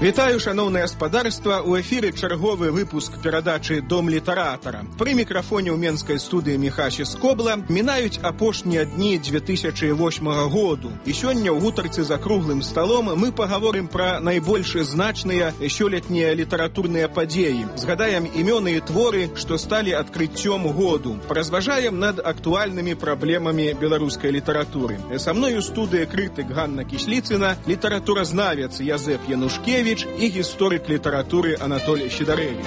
Вітаю, шановне гаспадарства, у эфіры чарговы выпуск перадачы «Дом літаратара». Пры мікрафоне ў менскай студыі Міхаші Скобла мінаюць апошнія дні 2008 году. І сёння ў гутарцы за круглым сталом мы пагаворым пра найбольш значныя сёлетнія літаратурныя падзеі. Згадаем імёны і творы, што сталі адкрыццём году. Паразважаем над актуальнымі праблемамі беларускай літаратуры. Са мною студыя крытык Ганна Кісліцына, літаратуразнавец Язэп Янушкевіч і гісторык літаратуры Анатолій Сідарэвіч.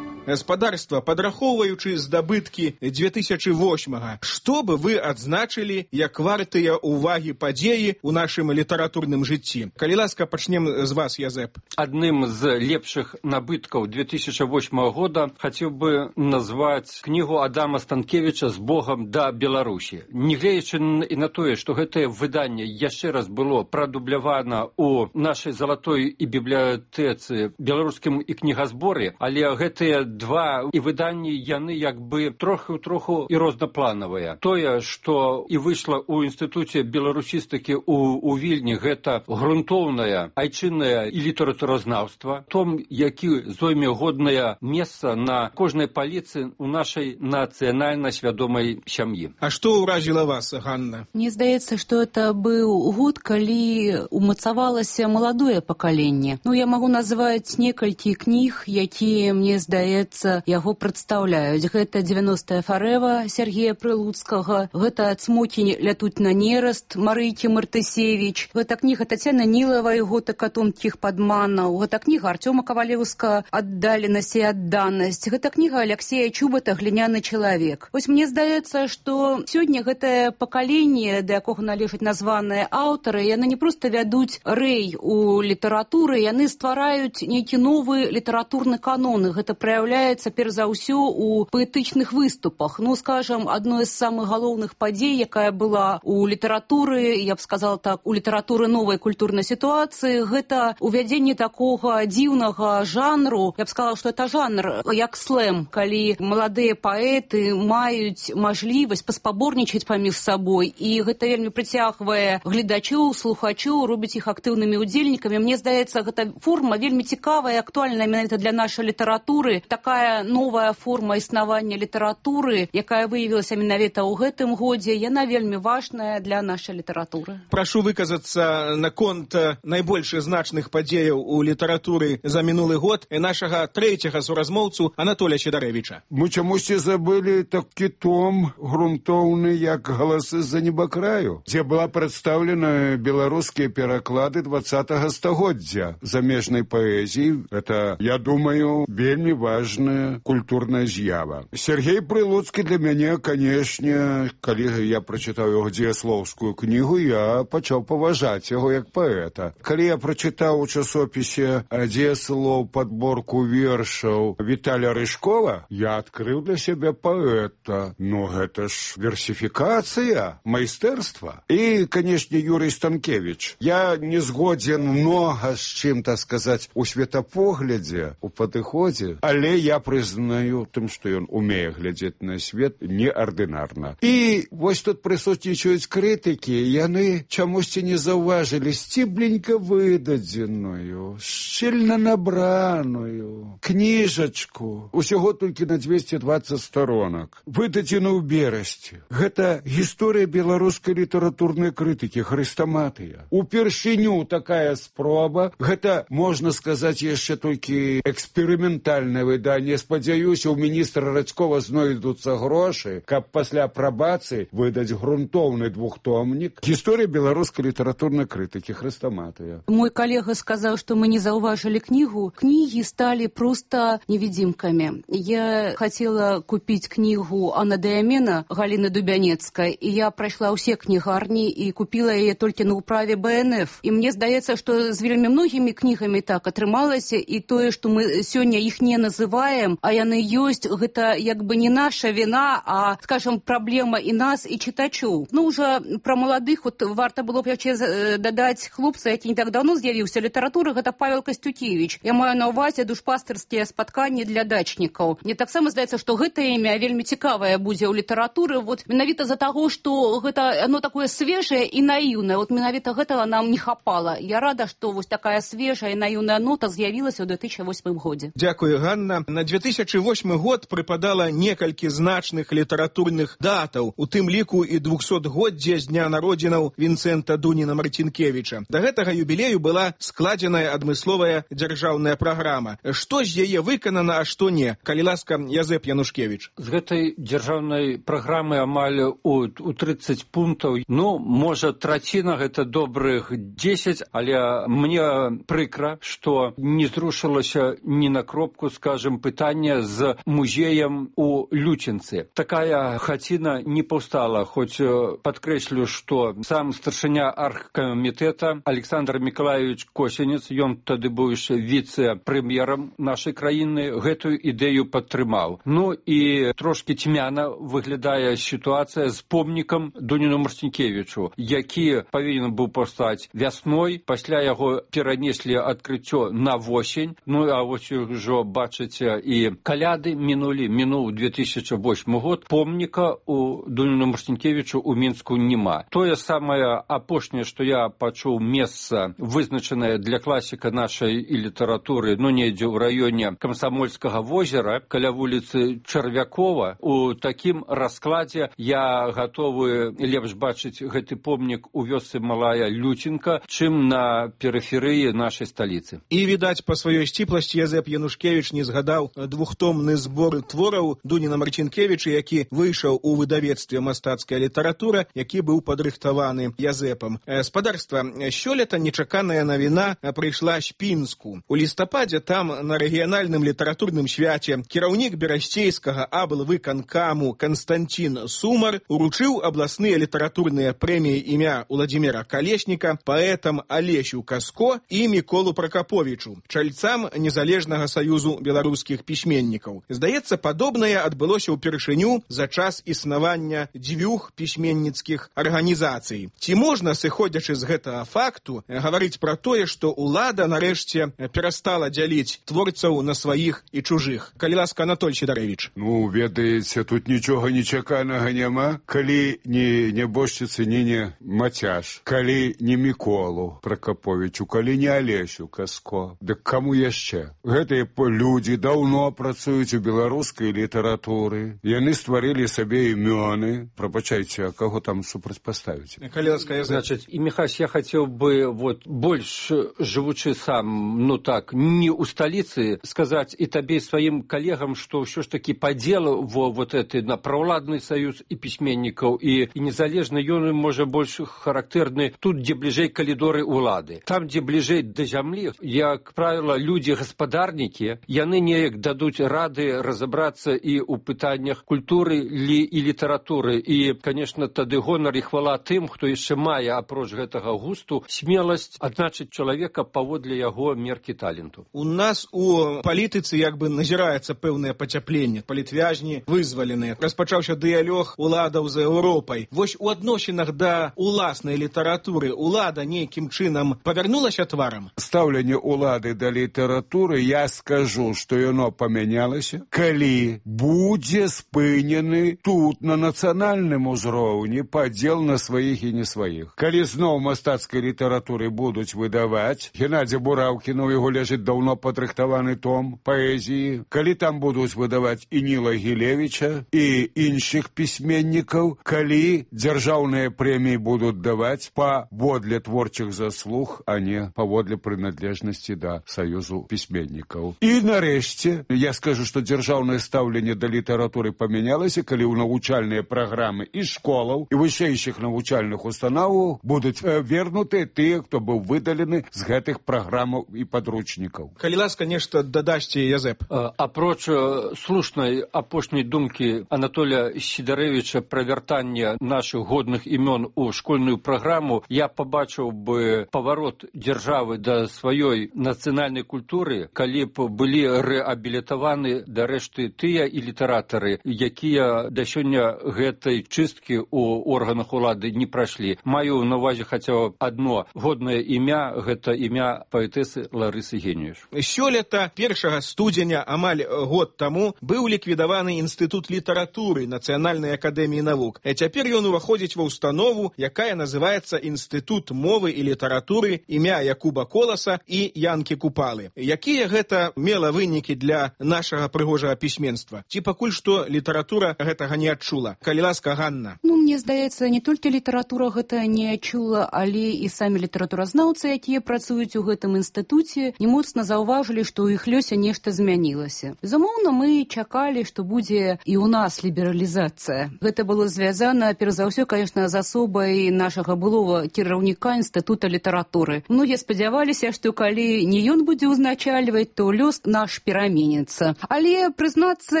гаспадарства, падрахоўваючы здабыткі 2008-га, што бы вы адзначылі як вартыя ўвагі падзеі ў нашым літаратурным жыцці? Калі ласка, пачнем з вас, Язэп. Адным з лепшых набыткаў 2008 года хацеў бы назваць кнігу Адама Станкевіча «З Богам да Беларусі». Нягледзячы і на тое, што гэтае выданне яшчэ раз было прадублявана ў нашай залатой і бібліятэцы, беларускім і кнігазборы, але гэтыя два і выданні, яны як бы троху і рознапланавыя. Тое, што і выйшла ў інстытуце беларусістыкі у Вільні, гэта грунтоўнае айчыннае і літаратуразнаўства, том, які зойме годнае месца на кожнай паліцы ў нашай нацыянальна свядомай сям'і. А што ўразіла вас, Ганна? Мне здаецца, што это быў год, калі умацавалася маладое пакаленне. Я магу назваць некалькі кніг, якія, мне здаецца, яго прадстаўляюць. Гэта «90-я фарэва» Сергея Прылуцкага, гэта «Цмокі лятуць на нераст» Марыйкі Мартысевіч, гэта кніга Тацяны Нілавай «Готы катонкіх падманаў», гэта кніга Артёма Кавалеўска «Аддаленасць і адданасць», гэта кніга Аляксея Чубата «Гліняны чалавек». Вось мне здаецца, што сёння гэтае пакаленне, да якога належаць названыя аўтары, яны не проста вядуць рэй у літаратуры, яны ствараюць нейкі новы літаратурны канон. Гэта праяўляецца перш за ўсё у паэтычных выступах. Скажам, адной з самых галоўных падзей, якая была у літаратуры, я б сказала так, у літаратуры новай культурнай сітуацыі, гэта увядзенне такога дзіўнага жанру. Я б сказала, што это жанр як слэм, калі маладыя паэты маюць мажлівасць паспаборнічаць паміж сабой, і гэта вельмі прыцягвае гледачоў, слухачоў, робіць іх актыўнымі удзельнікамі. Мне здаецца, гэта форма вельмі цікавая і актуальная менавіта для нашай літаратуры. Такая новая форма існавання літаратуры, якая выявілася менавіта ў гэтым годзе, яна вельмі важная для нашай літаратуры. Прашу выказацца наконт найбольш значных падзеяў у літаратуры за мінулы год нашага трэцяга суразмоўцу Анатолія Сідарэвіча. Мы чамусьці забылі такі том грунтоўны, як «Галасы з-за небакраю», дзе была прадстаўлена беларускія пераклады 20-го стагоддзя замежнай паэзіі. Это, я думаю, вельмі важная культурная з'ява. Сергей Прылуцкі для мяне, канешне, калі я прачытаў яго дзеяслоўскую кнігу, я пачаў паважаць яго як паэта. Калі я прачытаў у часопісе дзеяслоў падборку вершаў Віталя Рыжкова, я адкрыў для сябе паэта. Гэта ж версіфікацыя, майстэрства. І, канешне, Юрый Станкевіч. Я не згодзен многа з чым, так сказаць, у светапоглядзе, у падыходзе, але я прызнаю тым, што ён умее глядзець на свет неардынарна. І вось тут прысутнічаюць крытыкі, яны чамусьці не заўважылі сцібленька выдадзеную, шчыльна набраную кніжачку, усяго толькі на 220 сторонак, выдадзену ў берасці. Гэта гісторыя беларускай літаратурнай крытыкі, хрэстаматыя. Упершыню такая спроба, гэта, можна сказаць, яшчэ толькі эксперыментальнае выданне. Спадзяюся, у міністра Радзькова знойдуцца грошы, каб пасля апрабацыі выдаць грунтоўны двухтомнік. Гісторыя беларускай літаратурнай крытыкі, хрэстаматыя. Мой калега сказаў, што мы не заўважылі кнігу. Кнігі сталі проста невидимкамі. Я хацела купіць кнігу Анна Дыямена Галіны Дубянецкай, і я прайшла ўсе кнігарні і купіла яе толькі на ўправе БНФ. І мне здаецца, што з вельмі многімі кнігамі так атрымалася, і тое, што мы сёння іх не называем, а яны ёсць, гэта як бы не наша віна, а, скажем, праблема і нас, і чытачоў. Уже пра маладых, варта было б яшчэ дадаць хлопца, які не так давно з'явіўся літаратуры, гэта Павел Костюкевич. Я маю на ўвазе душпастырскія спатканні для дачнікаў. Мне таксама здаецца, што гэта імя вельмі цікавае будзе ў літаратуры, менавіта за таго, што гэта оно такое свежае і наіўнае. Менавіта гэтага нам не хапала. Я рада, што вось такая свежая і наіўная нота з'явілася ў 2008 годзе. Дзякую, Ганна. На 2008 год прыпадала некалькі значных літаратурных датаў, у тым ліку і 200-годдзе з дня народзінаў Вінцэнта Дуніна Марцінкевіча. Да гэтага юбілею была складзеная адмысловая дзяржаўная праграма. Што з яе выканана, а што не? Калі ласка, Язэп Янушкевіч. З гэтай дзяржаўнай праграмы амаль у 30 пунктаў, можа, траціна гэта добрых 10, але мне прыкра, што не зрушылася ні на кропку, скажем, пытання з музеем у Лючынцы. Такая хаціна не паўстала, хоць падкрэслю, што сам старшыня аргкамітэта Александр Миколаевич Косенец, ён тады быў яшчэ віцэ-прэм'ерам нашай краіны, гэтую ідэю падтрымаў. Ну і трошкі цьмяна выглядае сітуацыя з помнікам Дуніну Марцінкевічу, які павінен быў паўстаць вясной, пасля яго перанеслі адкрыццё на восень. Ну а вось ужо бачыце і каляды мінуў 2008 год, помніка у Дуніну Марцінкевічу у Мінску няма. Тое самае апошняе, што я пачуў, месца вызначанае для класіка нашай і літаратуры, ну недзе ў раёне Камсамольскага возера, каля вуліцы Чарвякова. У такім раскладзе я гатовы лепш бачыць гэты помнік у вёсцы Малая Лютенка, чым на перыферыі нашай сталіцы. І, відаць, па сваёй сціпласці Язэп Янушкевіч не згадаў двухтомны збор твораў Дуніна Марцінкевіча, які выйшаў у выдавецтве «Мастацкая літаратура», які быў падрыхтаваны Язэпам. Спадарства, сёлета нечаканая навіна прыйшла з Пінску. У лістападзе там на рэгіянальным літаратурным свяце кіраўнік берасцейскага аблвыканкаму Константин Сумар уручыў абласныя літаратурныя прэміі імя Уладзіміра Калесніка паэтам Алесю Каско і Міколу Пракаповічу, чальцам Незалежнага саюзу беларускіх пісьменнікаў. Здаецца, падобнае адбылося ўпершыню за час існавання дзвюх пісьменніцкіх арганізацый. Ці можна, сыходзячы з гэтага факту, гаварыць пра тое, што ўлада нарэшце перастала дзяліць творцаў на сваіх і чужых? Калі ласка, Анатоль Сідарэвіч. Ну, ведаеце, тут нічога нечаканага няма. Калі не нябожчыцы, не Мацяш, калі не Міколу Пракаповічу, калі не Алесю Каско, дык каму яшчэ? Гэтыя людзі даўно працуюць у беларускай літаратуры. Яны стварылі сабе імёны. Прабачайце, а каго там супрацьпаставіць? Калі ласка, Значит, и, Михась, я хотел бы вот больше, живучи сам, ну так, не у столицы, сказать и тебе, и своим коллегам, что все ж таки по делу вот это на праволадный союз и письменников, и незалежно ён может больше характерны тут, где ближей коридоры улады. Там, где ближей до земли, как правило, люди-господарники, яны неяк дадут рады разобраться и у пытаниях культуры и литературы. И, конечно, тады гонор и хвала тым, кто еще мае, апроч гэтага густу, смеласць адзначыць чалавека паводле яго меркі таленту. У нас у палітыцы як бы назіраецца пэўнае пацяпленне. Палітвязні вызваленыя. Распачаўся дыялог уладаў за Еўропай. Вось у адносінах да уласнай літаратуры улада нейкім чынам павярнулася тварам? Стаўленне улады да літаратуры, я скажу, што яно памянялася, калі будзе спынены тут на нацыянальным узроўні падзел на сваіх і не сваіх. Калі зноў мастацкай літаратуры будуць выдаваць, Геннадзя Бураўкіна, у яго ляжыць даўно падрыхтаваны том паэзіі, калі там будуць выдаваць і Ніла Гілевіча, і іншых пісьменнікаў, калі дзяржаўныя прэміі будуць даваць паводле творчых заслуг, а не паводле прыналежнасці да саюзу пісьменнікаў. І нарэшце, я скажу, што дзяржаўнае стаўленне да літаратуры памянялася, калі ў навучальныя праграмы і школаў, і вышэйшых навучальных установаў будуць вернуты тыя, хто быў выдалены з гэтых праграмаў і падручнікаў. Калі ласка, нешта дадасце, Язэп. Апроч слушнай апошняй думкі Анатолія Сідарэвіча пра вяртанне нашых годных імён у школьную праграму, я пабачыў бы паварот дзяржавы да сваёй нацыянальнай культуры, калі б былі рэабілітаваны да рэшты тыя і літаратары, якія да сёння гэтай чысткі ў органах улады не прайшлі. Маю на увазе хаця адно годнае імя, гэта імя паэтэсы Ларысы Геніюш. Сёлета 1 студзеня, амаль год таму, быў ліквідаваны інстытут літаратуры Нацыянальнай акадэміі навук. Цяпер ён уваходзіць ва ўстанову, якая называецца Інстытут мовы і літаратуры імя Якуба Коласа і Янкі Купалы. Якія гэта мела вынікі для нашага прыгожага пісьменства? Ці пакуль што літаратура гэтага не адчула? Калі ласка, Ганна. Ну, мне здаецца, не толькі літаратура гэта не адчула, але і самі літаратуразнаўцы, якія працуюць у гэтым інстытуце, не моцна заўважылі, што ў іх лёсе нешта змянілася. Безумоўна, мы чакалі, што будзе і ў нас лібералізацыя. Гэта было звязана, перш за ўсё, конечно, з асобай нашага былога кіраўніка інстытута літаратуры. Многія спадзяваліся, што калі не ён будзе ўзначальваць, то лёс наш перамены пераменіцца. Але, прызнацца,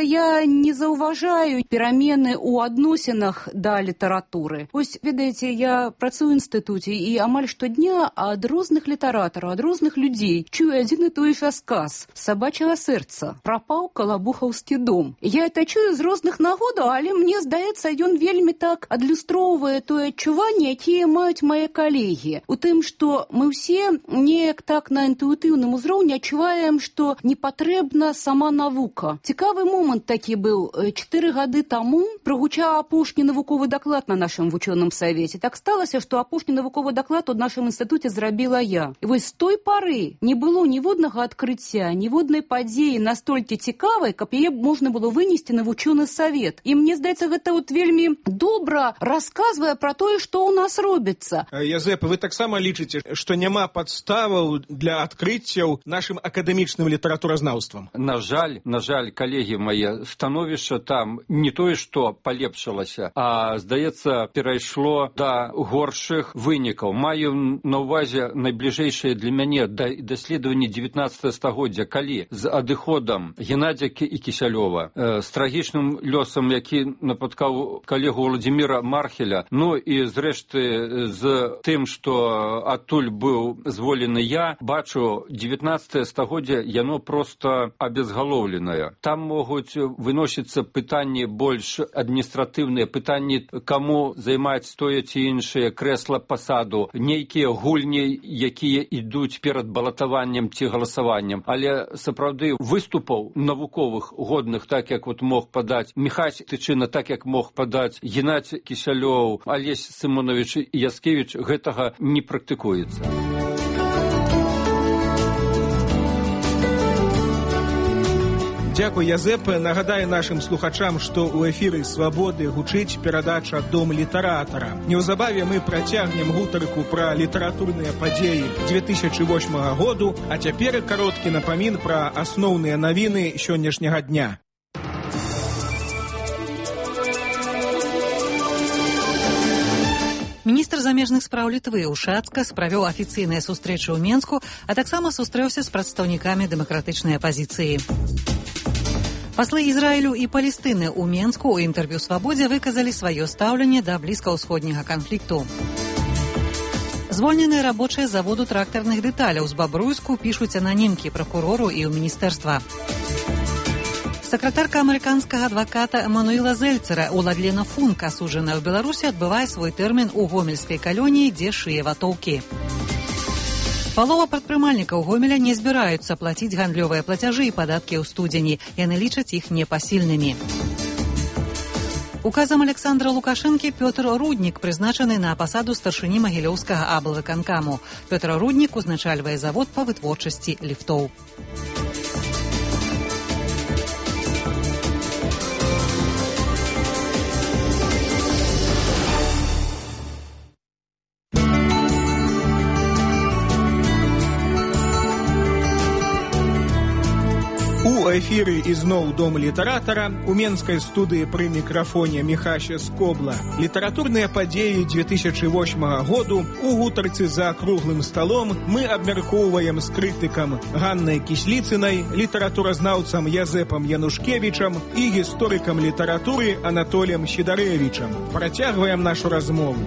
я не заўважаю перамены ў адносінах да літаратуры. Вось, ведаеце, я працую ў інстытуце і амаль штодня ад розных літаратараў, ад розных людзей чую адзін і той жа сказ «Сабачага сэрца», «Прапаў калабухаўскі дом». Я это чую з розных нагодаў, але мне здаецца, ён вельмі так адлюстроўвае тое адчуванне, якія маюць мае калегі. У тым, што мы ўсе неяк так на інтуітыўным узроўні адчуваем, што не патрэбна сама навука. Цікавы момант такі быў. 4 гады таму прагучаў апошні навуковы даклад на нашым вучоным савеце. Так сталася, што апошні навуковы даклад у нашым інстытуце зрабіла я. І вось з той пары не было ніводнага адкрыцця, ніводнай падзеі настолькі цікавай, каб яе можна было вынесці на вучоны савет. І мне здаецца, гэта вот вельмі добра расказвае пра тое, што ў нас робіцца. Язэп, вы таксама лічыце, што няма падставаў для адкрыццяў нашым акадэмічным літаратуразнаўствам? На жаль, калегі мае, становішча там не тое, што палепшылася, а, здаецца, перайшло да горшых вынікаў. Маю на ўвазе найбліжэйшае для мяне даследаванне 19 стагоддзя, калі з адыходам Геннадзя і Кісялёва, з трагічным лёсам, які напаткаў калегу Владзіміра Мархеля, ну і зрэшты з тым, што адтуль быў зволены я, бачу, 19 стагоддзя, яно проста абезгалоўленае. Там могуць выносіцца пытанні больш адміністратыўныя, пытанні, каму займаць тое ці іншае крэсла пасаду, нейкія гульні, якія ідуць перад балатаваннем ці галасаваннем. Але сапраўды выступаў навуковых годных, так як вот мог падаць Міхась Тычына, так як мог падаць Геннадзь Кісялёў, Алесь Сымонович Яскевіч, гэтага не практыкуецца. Дзякуй, Язэп. Нагадаю нашым слухачам, што ў эфіры «Свабоды» гучыць перадача «Дом літаратара». Неўзабаве мы працягнем гутарку пра літаратурныя падзеі 2008 году, а цяпер кароткі напамін пра асноўныя навіны сённяшняга дня. Міністр замежных спраў Літвы Ушацка справіў афіцыйныя сустрэчы ў Менску, а таксама сустрэўся з прадстаўнікамі дэмакратычнай апазіцыі. Паслы Ізраілю і Палестыны ў Менску ў інтэрв'ю «Свабодзе» выказалі сваё стаўленне да блізкаўсходняга канфлікту. Звольненыя рабочыя заводу трактарных дэталяў з Бабруйску пішуць ананімкі пракурору і ў міністэрства. Сакратарка амерыканскага адваката Эмануэла Зельцера Уладлена Функ, асуджаная ў Беларусі, адбывае свой тэрмін у гомельскай калоніі, дзе шые ватоўкі. Палова прадпрымальнікаў Гомеля не збіраюцца плаціць гандлёвыя плацяжы і падаткі ў студзені. Яны лічаць іх непасільнымі. Указам Александра Лукашэнкі Пётр Руднік прызначаны на пасаду старшыні магілёўскага аблвыканкаму. Пётр Руднік узначальвае завод па вытворчасці ліфтоў. У эфіры ізноў «Дом літаратара», у менскай студыі пры мікрафоне Міхася Скобла. Літаратурныя падзеі 2008 году у гутарцы за круглым сталом мы абмяркоўваем з крытыкам Ганнай Кісліцынай, літаратуразнаўцам Язэпам Янушкевічам і гісторыкам літаратуры Анатоліем Сідарэвічам. Працягваем нашу размову.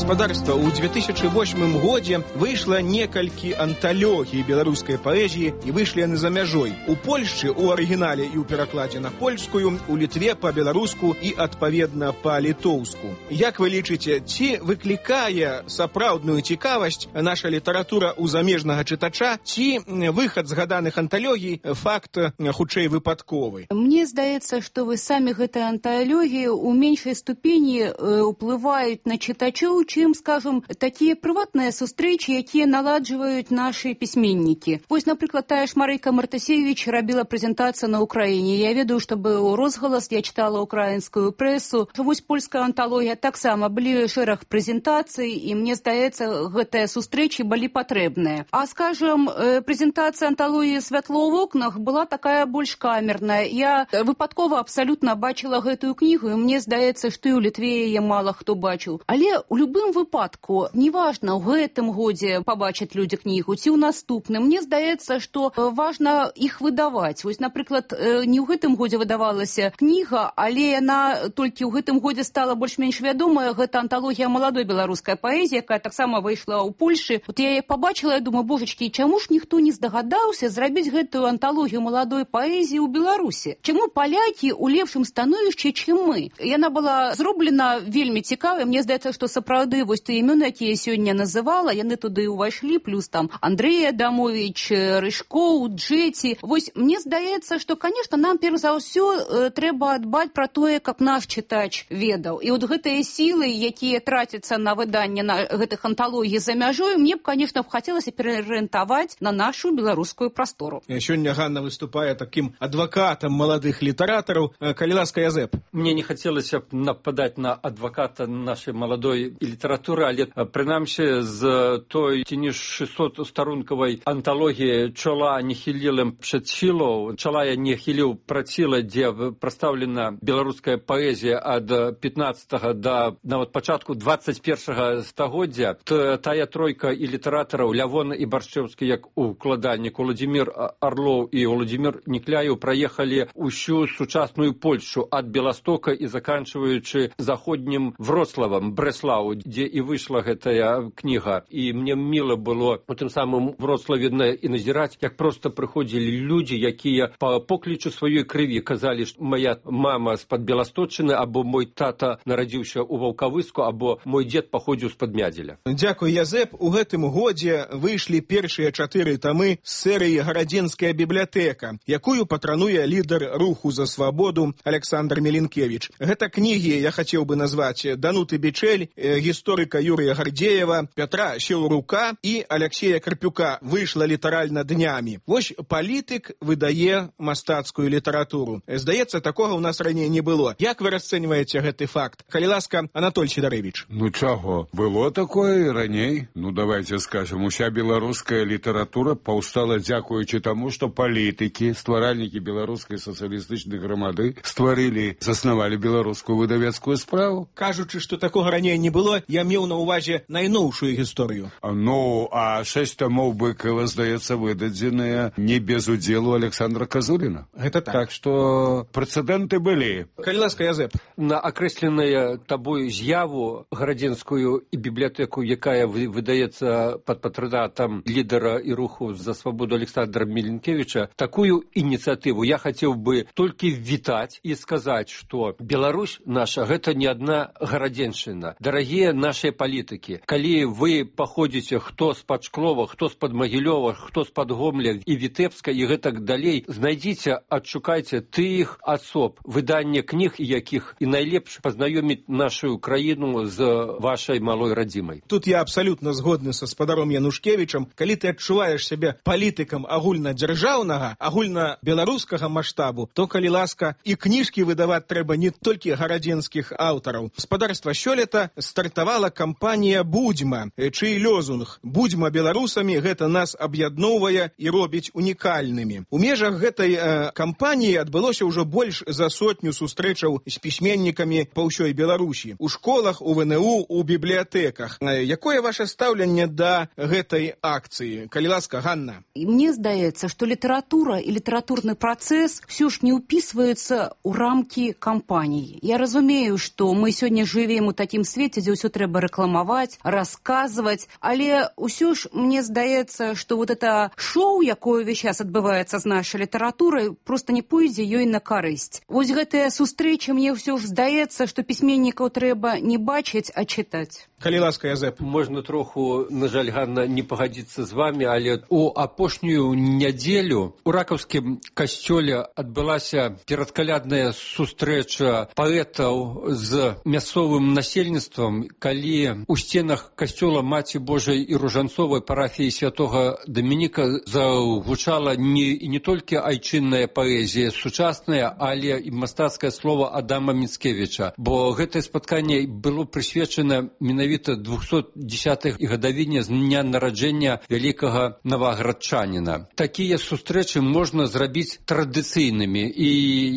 Гаспадарства, у 2008 годзе выйшла некалькі анталогій беларускай паэзіі і выйшлі яны за мяжой. У Польшчы у арыгінале і ў перакладзе на польскую, у Літве па-беларуску і, адпаведна, па-літоўску. Як вы лічыце, ці выклікае сапраўдную цікавасць наша літаратура ў замежнага чытача, ці выхад згаданых анталогій факт хутчэй выпадковы? Мне здаецца, што вы самі гэтыя анталогіі ў меншай ступені ўплываюць на чытачоў, чым, скажем, такія прыватныя сустрэчы, якія наладжваюць нашы пісьменнікі. Вось, напрыклад, тая ж Марыка Мартасевіч рабіла прэзентацыю на Ўкраіне. Я ведаю, што быў розгалас, я чытала ўкраінскую прэсу. Вось польская анталогія таксама былі шэраг прэзентацый, і мне здаецца, гэтыя сустрэчы былі патрэбныя. А, скажем, прэзентацыя анталогіі «Святло ў вокнах» была такая больш камерная. Я выпадкова абсалютна бачыла гэтую кнігу, і мне здаецца, што і ў Літве яе мала хто бачыў. Але ў любым любым выпадку, неважна, ў гэтым годзе пабачаць людзі кнігу ці ў наступным, мне здаецца, што важна іх выдаваць. Вось, напрыклад, не ў гэтым годзе выдавалася кніга, але яна толькі ў гэтым годзе стала больш-менш вядомая. Гэта анталогія маладой беларускай паэзіі, якая таксама выйшла ў Польшы. Вот я яе пабачыла, я думаю, божачкі, чаму ж ніхто не здагадаўся зрабіць гэтую анталогію маладой паэзіі ў Беларусі? Чаму палякі ў лепшым становішчы, чым мы? Яна была зроблена вельмі цікавая. Мне здаецца, што сапраўды вось тыя імёны, якія я сёння называла, яны туды ўвайшлі, плюс там Андрэй Адамович, Рыжкоў, Джеці. Вось мне здаецца, што, конечно, нам перш за ўсё трэба дбаць пра тое, каб наш чытач ведаў. І вот гэтыя сілы, якія трацяцца на выданне на гэтых анталогій за мяжой, мне б, конечно, хацелася пераарыентаваць на нашу беларускую прастору. Сёння Ганна выступае таким адвакатам маладых літаратараў. Калі ласка, Язэп. Мне не хацелася б нападаць на адваката нашай маладой літаратуры, але прынамсі з той ці не 600-старункавай анталогіі «Чола не хілілым przed сілаў», «Чола я не хіліў праціла», дзе прадстаўлена беларуская паэзія ад 15 да нават пачатку 21 стагоддзя. Тая тройка і літаратараў Лявон і Баршчэўскі як укладальнік, Уладзімір Арлоў і Уладзімір Нікляеў праехалі ўсю сучасную Польшу ад Беластока і заканчваючы заходнім Вроцлавам, Брэслау, дзе і выйшла гэтая кніга. І мне міла было у тым самым Вроцлаве і назіраць, як проста прыходзілі людзі, якія па поклічу сваёй крыві казалі, што моя мама з-пад Беласточчыны, або мой тата нарадзіўся ў Ваўкавыску, або мой дзед паходзіў з-пад Мядзеля. Дзякуй, Язэп. У гэтым годзе выйшлі першыя 4 тамы з серыі «Гарадзенская бібліятэка», якую патрануе лідар руху за свабоду Александр Меленкевич. Гэта кнігі, я хацеў бы назваць, Дануты Бичель, гісторыка Юрія Гардзеева, Пятра Сілрука і Алексея Карпюка. Выйшла літаральна днямі. Вось палітык выдае мастацкую літаратуру. Здаецца, такога ў нас раней не было. Як вы расцэньваеце гэты факт? Калі ласка, Анатоль Сідарэвіч. Ну чаго? Было такое і раней. Ну давайте скажем, уся беларуская літаратура паўстала дзякуючы таму, што палітыкі, стваральнікі беларускай сацыялістычнай грамады стварылі, заснавалі беларускую выдавецкую справу. Кажучы, што такога раней не было, я меў на ўвазе найноўшую гісторыю. Ну, а 6 тамоў Быкова, здаецца, выдадзеныя не без удзелу Александра Казуліна. Гэта так. Так што прэцэдэнты былі. Калі ласка, Язэп. На акрэсленая табою з'яву гарадзенскую і бібліятэку, якая выдаецца пад патранатам лідара і руху за свабоду Александра Меленкевича, такую ініцыятыву я хацеў бы толькі вітаць і сказаць, што Беларусь наша гэта не адна гарадзеншчына. Дарагія нашыя палітыкі, калі вы паходзіце хто з-пад Шклова, хто з-пад Магілёва, хто з-пад Гомля і Вітэбска і гэтак далей, знайдзіце, адшукайце тых асоб, выданне кніг якіх і найлепш пазнаёміць нашу краіну з вашай малой радзімай. Тут я абсалютна згодны са спадаром Янушкевічам. Калі ты адчуваеш сябе палітыкам агульнадзяржаўнага, агульнабеларускага маштабу, то, калі ласка, і кніжкі выдаваць трэба не толькі гарадзенскіх аўтараў. Спадарства сёлета стартавала кампанія «Будзьма», чый лёзунг «Будзьма беларусамі, гэта нас аб'ядноўвае і робіць унікальнымі». У межах гэтай кампаніі адбылося ўжо больш за 100 сустрэчаў з пісьменнікамі па ўсёй Беларусі. У школах, у ВНУ, у бібліятэках. Якое ваше стаўленне да гэтай акцыі? Калі ласка, Ганна. Мне здаецца, што літаратура і літаратурны працэс ўсё ж не ўпісваюцца ў рамкі кампаніі. Я разумею, што мы сёння жывем у такім свеце, дзе ўсё трэба рэкламаваць, расказваць, але ўсё ж мне здаецца, што вот это шоу, якое ўвесь час адбываецца з нашай літаратурай, проста не пойдзе ёй на карысць. Вось гэтая сустрэча, мне ўсё ж здаецца, што пісьменнікаў трэба не бачыць, а чытаць. Калі ласка, Язэп. Можна троху, на жаль, Ганна, не пагадзіцца з вами, але у апошнюю нядзелю у ракаўскім касцёле адбылася перадкалядная сустрэча паэтаў з мясцовым насельніцтвам, калі у сценах касцёла Маці Божай і Ружанцовай парафіі святога Дамініка загучала не толькі айчынная паэзія сучасная, але і мастацкае слова Адама Міцкевіча, бо гэтае спатканне было прысвечана менавіта менавіта 210-й гадавіне з дня нараджэння вялікага новаградчаніна. Такія сустрэчы можна зрабіць традыцыйнымі, і,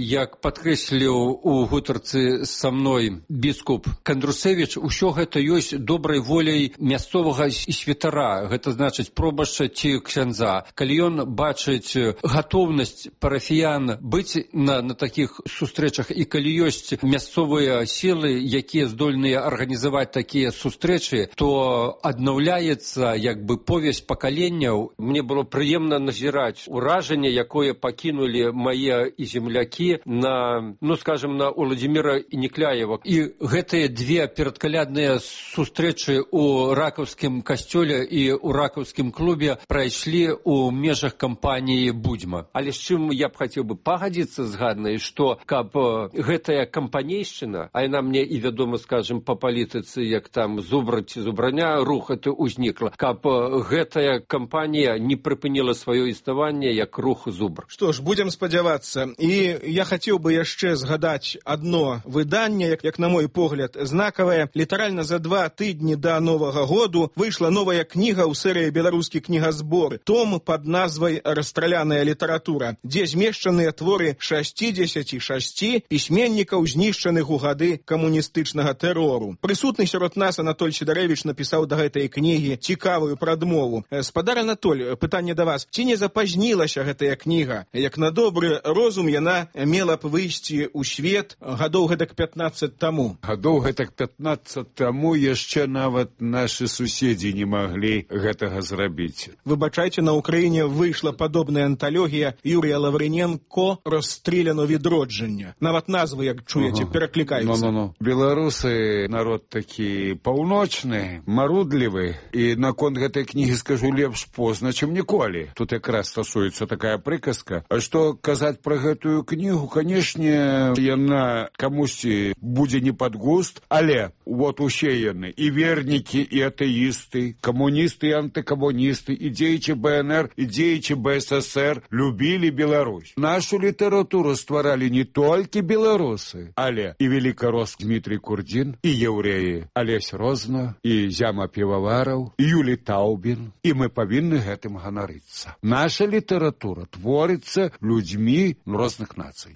як падкрэсліў у гутарцы са мной біскуп Кандрусевіч, усё гэта ёсць добрай воляй мясцовага святара, гэта значыць пробашча ці ксяндза. Калі ён бачыць гатоўнасць парафіян быць на такіх сустрэчах, і калі ёсць мясцовыя сілы, якія здольныя арганізаваць такія сустрэчы, то аднаўляецца як бы повязь пакаленняў. Мне было прыемна назіраць уражанне, якое пакінулі мае і землякі на, скажем, на Уладзіміра Некляева. І гэтыя две перадкалядныя сустрэчы у ракаўскім касцёле і у ракаўскім клубе прайшлі у межах кампаніі «Будзьма». Але з чым я б хацеў бы пагадзіцца з Ганнай, што каб гэтая кампанейшчына, а яна мне і вядома, скажем, па палітыцы, як там зубра ці зубраня, рух это узнікла, каб гэтая кампанія не прыпыніла сваё існаванне як рух зубр. Што ж, будзем спадзявацца. І я хацеў бы яшчэ згадаць адно выданне, як на мой погляд, знакавае. Літаральна за 2 тыдні да Новага году выйшла новая кніга ў серыі «Беларускі кнігазбор», том пад назвай «Расстраляная літаратура», дзе змешчаныя творы 66 пісьменнікаў, знішчаных у гады камуністычнага тэрору. Прысутны сярод нас Анатоль Сідарэвіч напісаў да гэтай кнігі цікавую прадмову. Спадар Анатоль, пытанне да вас. Ці не запазнілася гэтая кніга? Як на добры розум яна мела б выйсці ў свет гадоў гэтак 15 таму. Гадоў гэтак 15 таму яшчэ нават нашы суседзі не маглі гэтага зрабіць. Выбачайце, на Украіне выйшла падобная анталогія Юрія Лавриненко «Розстріляно відродження». Нават назвы, як чуеце, пераклікаюцца. Беларусы народ такі паўночны, марудлівы, і наконт гэтай кнігі скажу лепш позна, чым ніколі. Тут якраз стасуецца такая прыказка. А што казаць пра гэтую кнігу, канешне, яна камусьці будзе не пад густ, але вот усе яны, і вернікі, і атэісты, камуністы і антыкамуністы, і дзеячы БНР, і дзеячы БССР любілі Беларусь. Нашу літаратуру стваралі не толькі беларусы, але і велікарос Дмітрий Курдзін, і еўрэі Алесь Розна, і Зяма Півавараў, і Юлі Таубін, і мы павінны гэтым ганарыцца. Наша літаратура творыцца людзьмі розных нацый.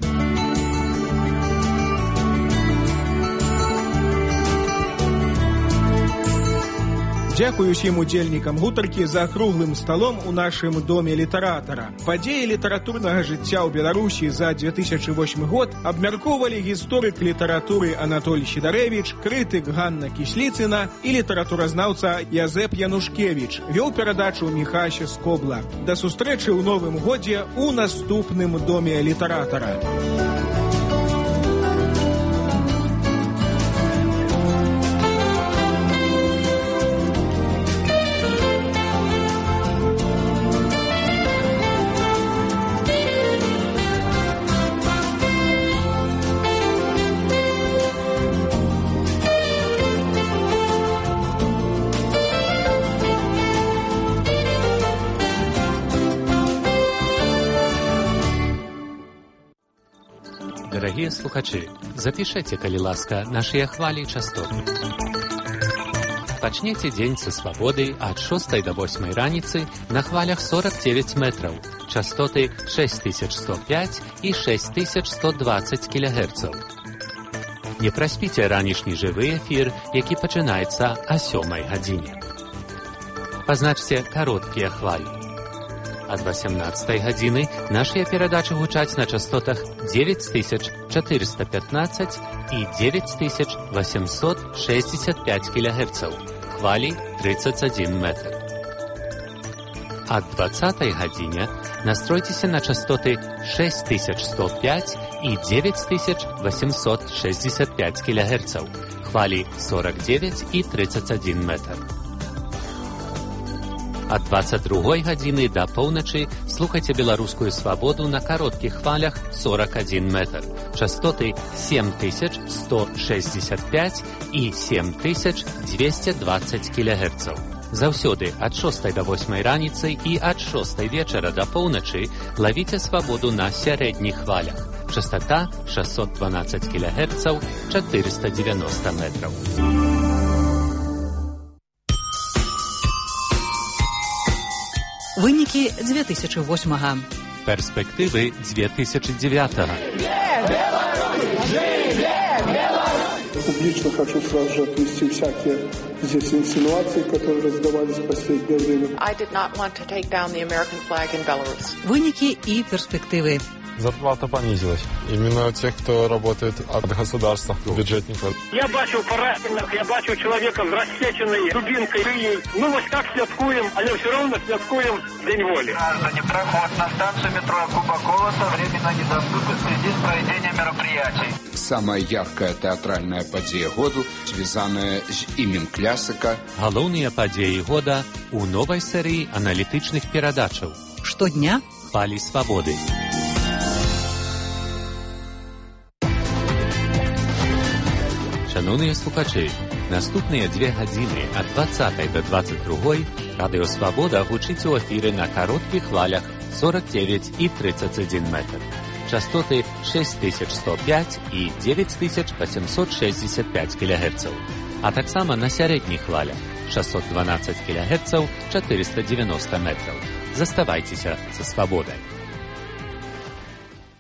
Дзякую усім удзельнікам гутаркі за круглым сталом у нашым доме літаратара. Падзеі літаратурнага жыцця ў Беларусі за 2008 год абмяркоўвалі гісторык літаратуры Анатоль Сідарэвіч, крытык Ганна Кісліцына і літаратуразнаўца Язэп Янушкевіч. Вёў перадачу Міхась Скобла. Да сустрэчы ў новым годзе у наступным доме літаратара. Дарагія слухачы, запішэце, калі ласка, нашыя хвалі і частоты. Пачнеце дзень са свабоды ад 6 до 8 раніцы на хвалях 49 метраў, частоты 6105 і 6120 кГц. Не праспіце ранішні жывы эфір, які пачынаецца о 7 гадзіне. Пазначце кароткія хвалі. Ад 18 гадзіны нашыя перадачы гучаць на частотах 9415 і 9865 кГц, хвалі 31 метр. Ад 20 гадзіне настройцеся на частоты 6105 і 9865 кГц, хвалі 49 і 31 метр. Ад 22 гадзіны да поўначы слухайце беларускую свабоду на кароткіх хвалях 41 метр, частоты 7165 і 7220 кГц. Заўсёды ад 6 до 8 раніцы і ад 6 вечара да поўначы лавіце свабоду на сярэдніх хвалях. Частота 612 кГц, 490 метраў. Вынікі 2008-га. Перспективы 2009-го. Публично хочу сразу же отвести всякие здесь инсинуации, которые раздавались в последнее время. Вынікі і перспективы. Зарплата понизилась. Именно тех, кто работает от государства, бюджетников. Я бачу поранених, я бачу чоловіка з розсеченою дубинкою. Ну ось так святкуємо, але все одно святкуємо День волі. Граждане, проход на станцию метро Кубакова временно недоступен в связи с проведением мероприятий. Самая яркая театральная падзея году, связанная с именем клясика. Галоўныя падзеі года у новай серыі аналітычных перадачаў. Штодня Хвалі свабоды. Шановныя слухачы, наступныя 2 гадзіны ад 20 до 22 Радыё Свабода гучыць у эфіры на кароткіх хвалях 49 і 31 метр. Частоты 6105 і 9865 кГц. А таксама на сярэдніх хвалях 612 кГц 490 метраў. Заставайцеся са свабодай.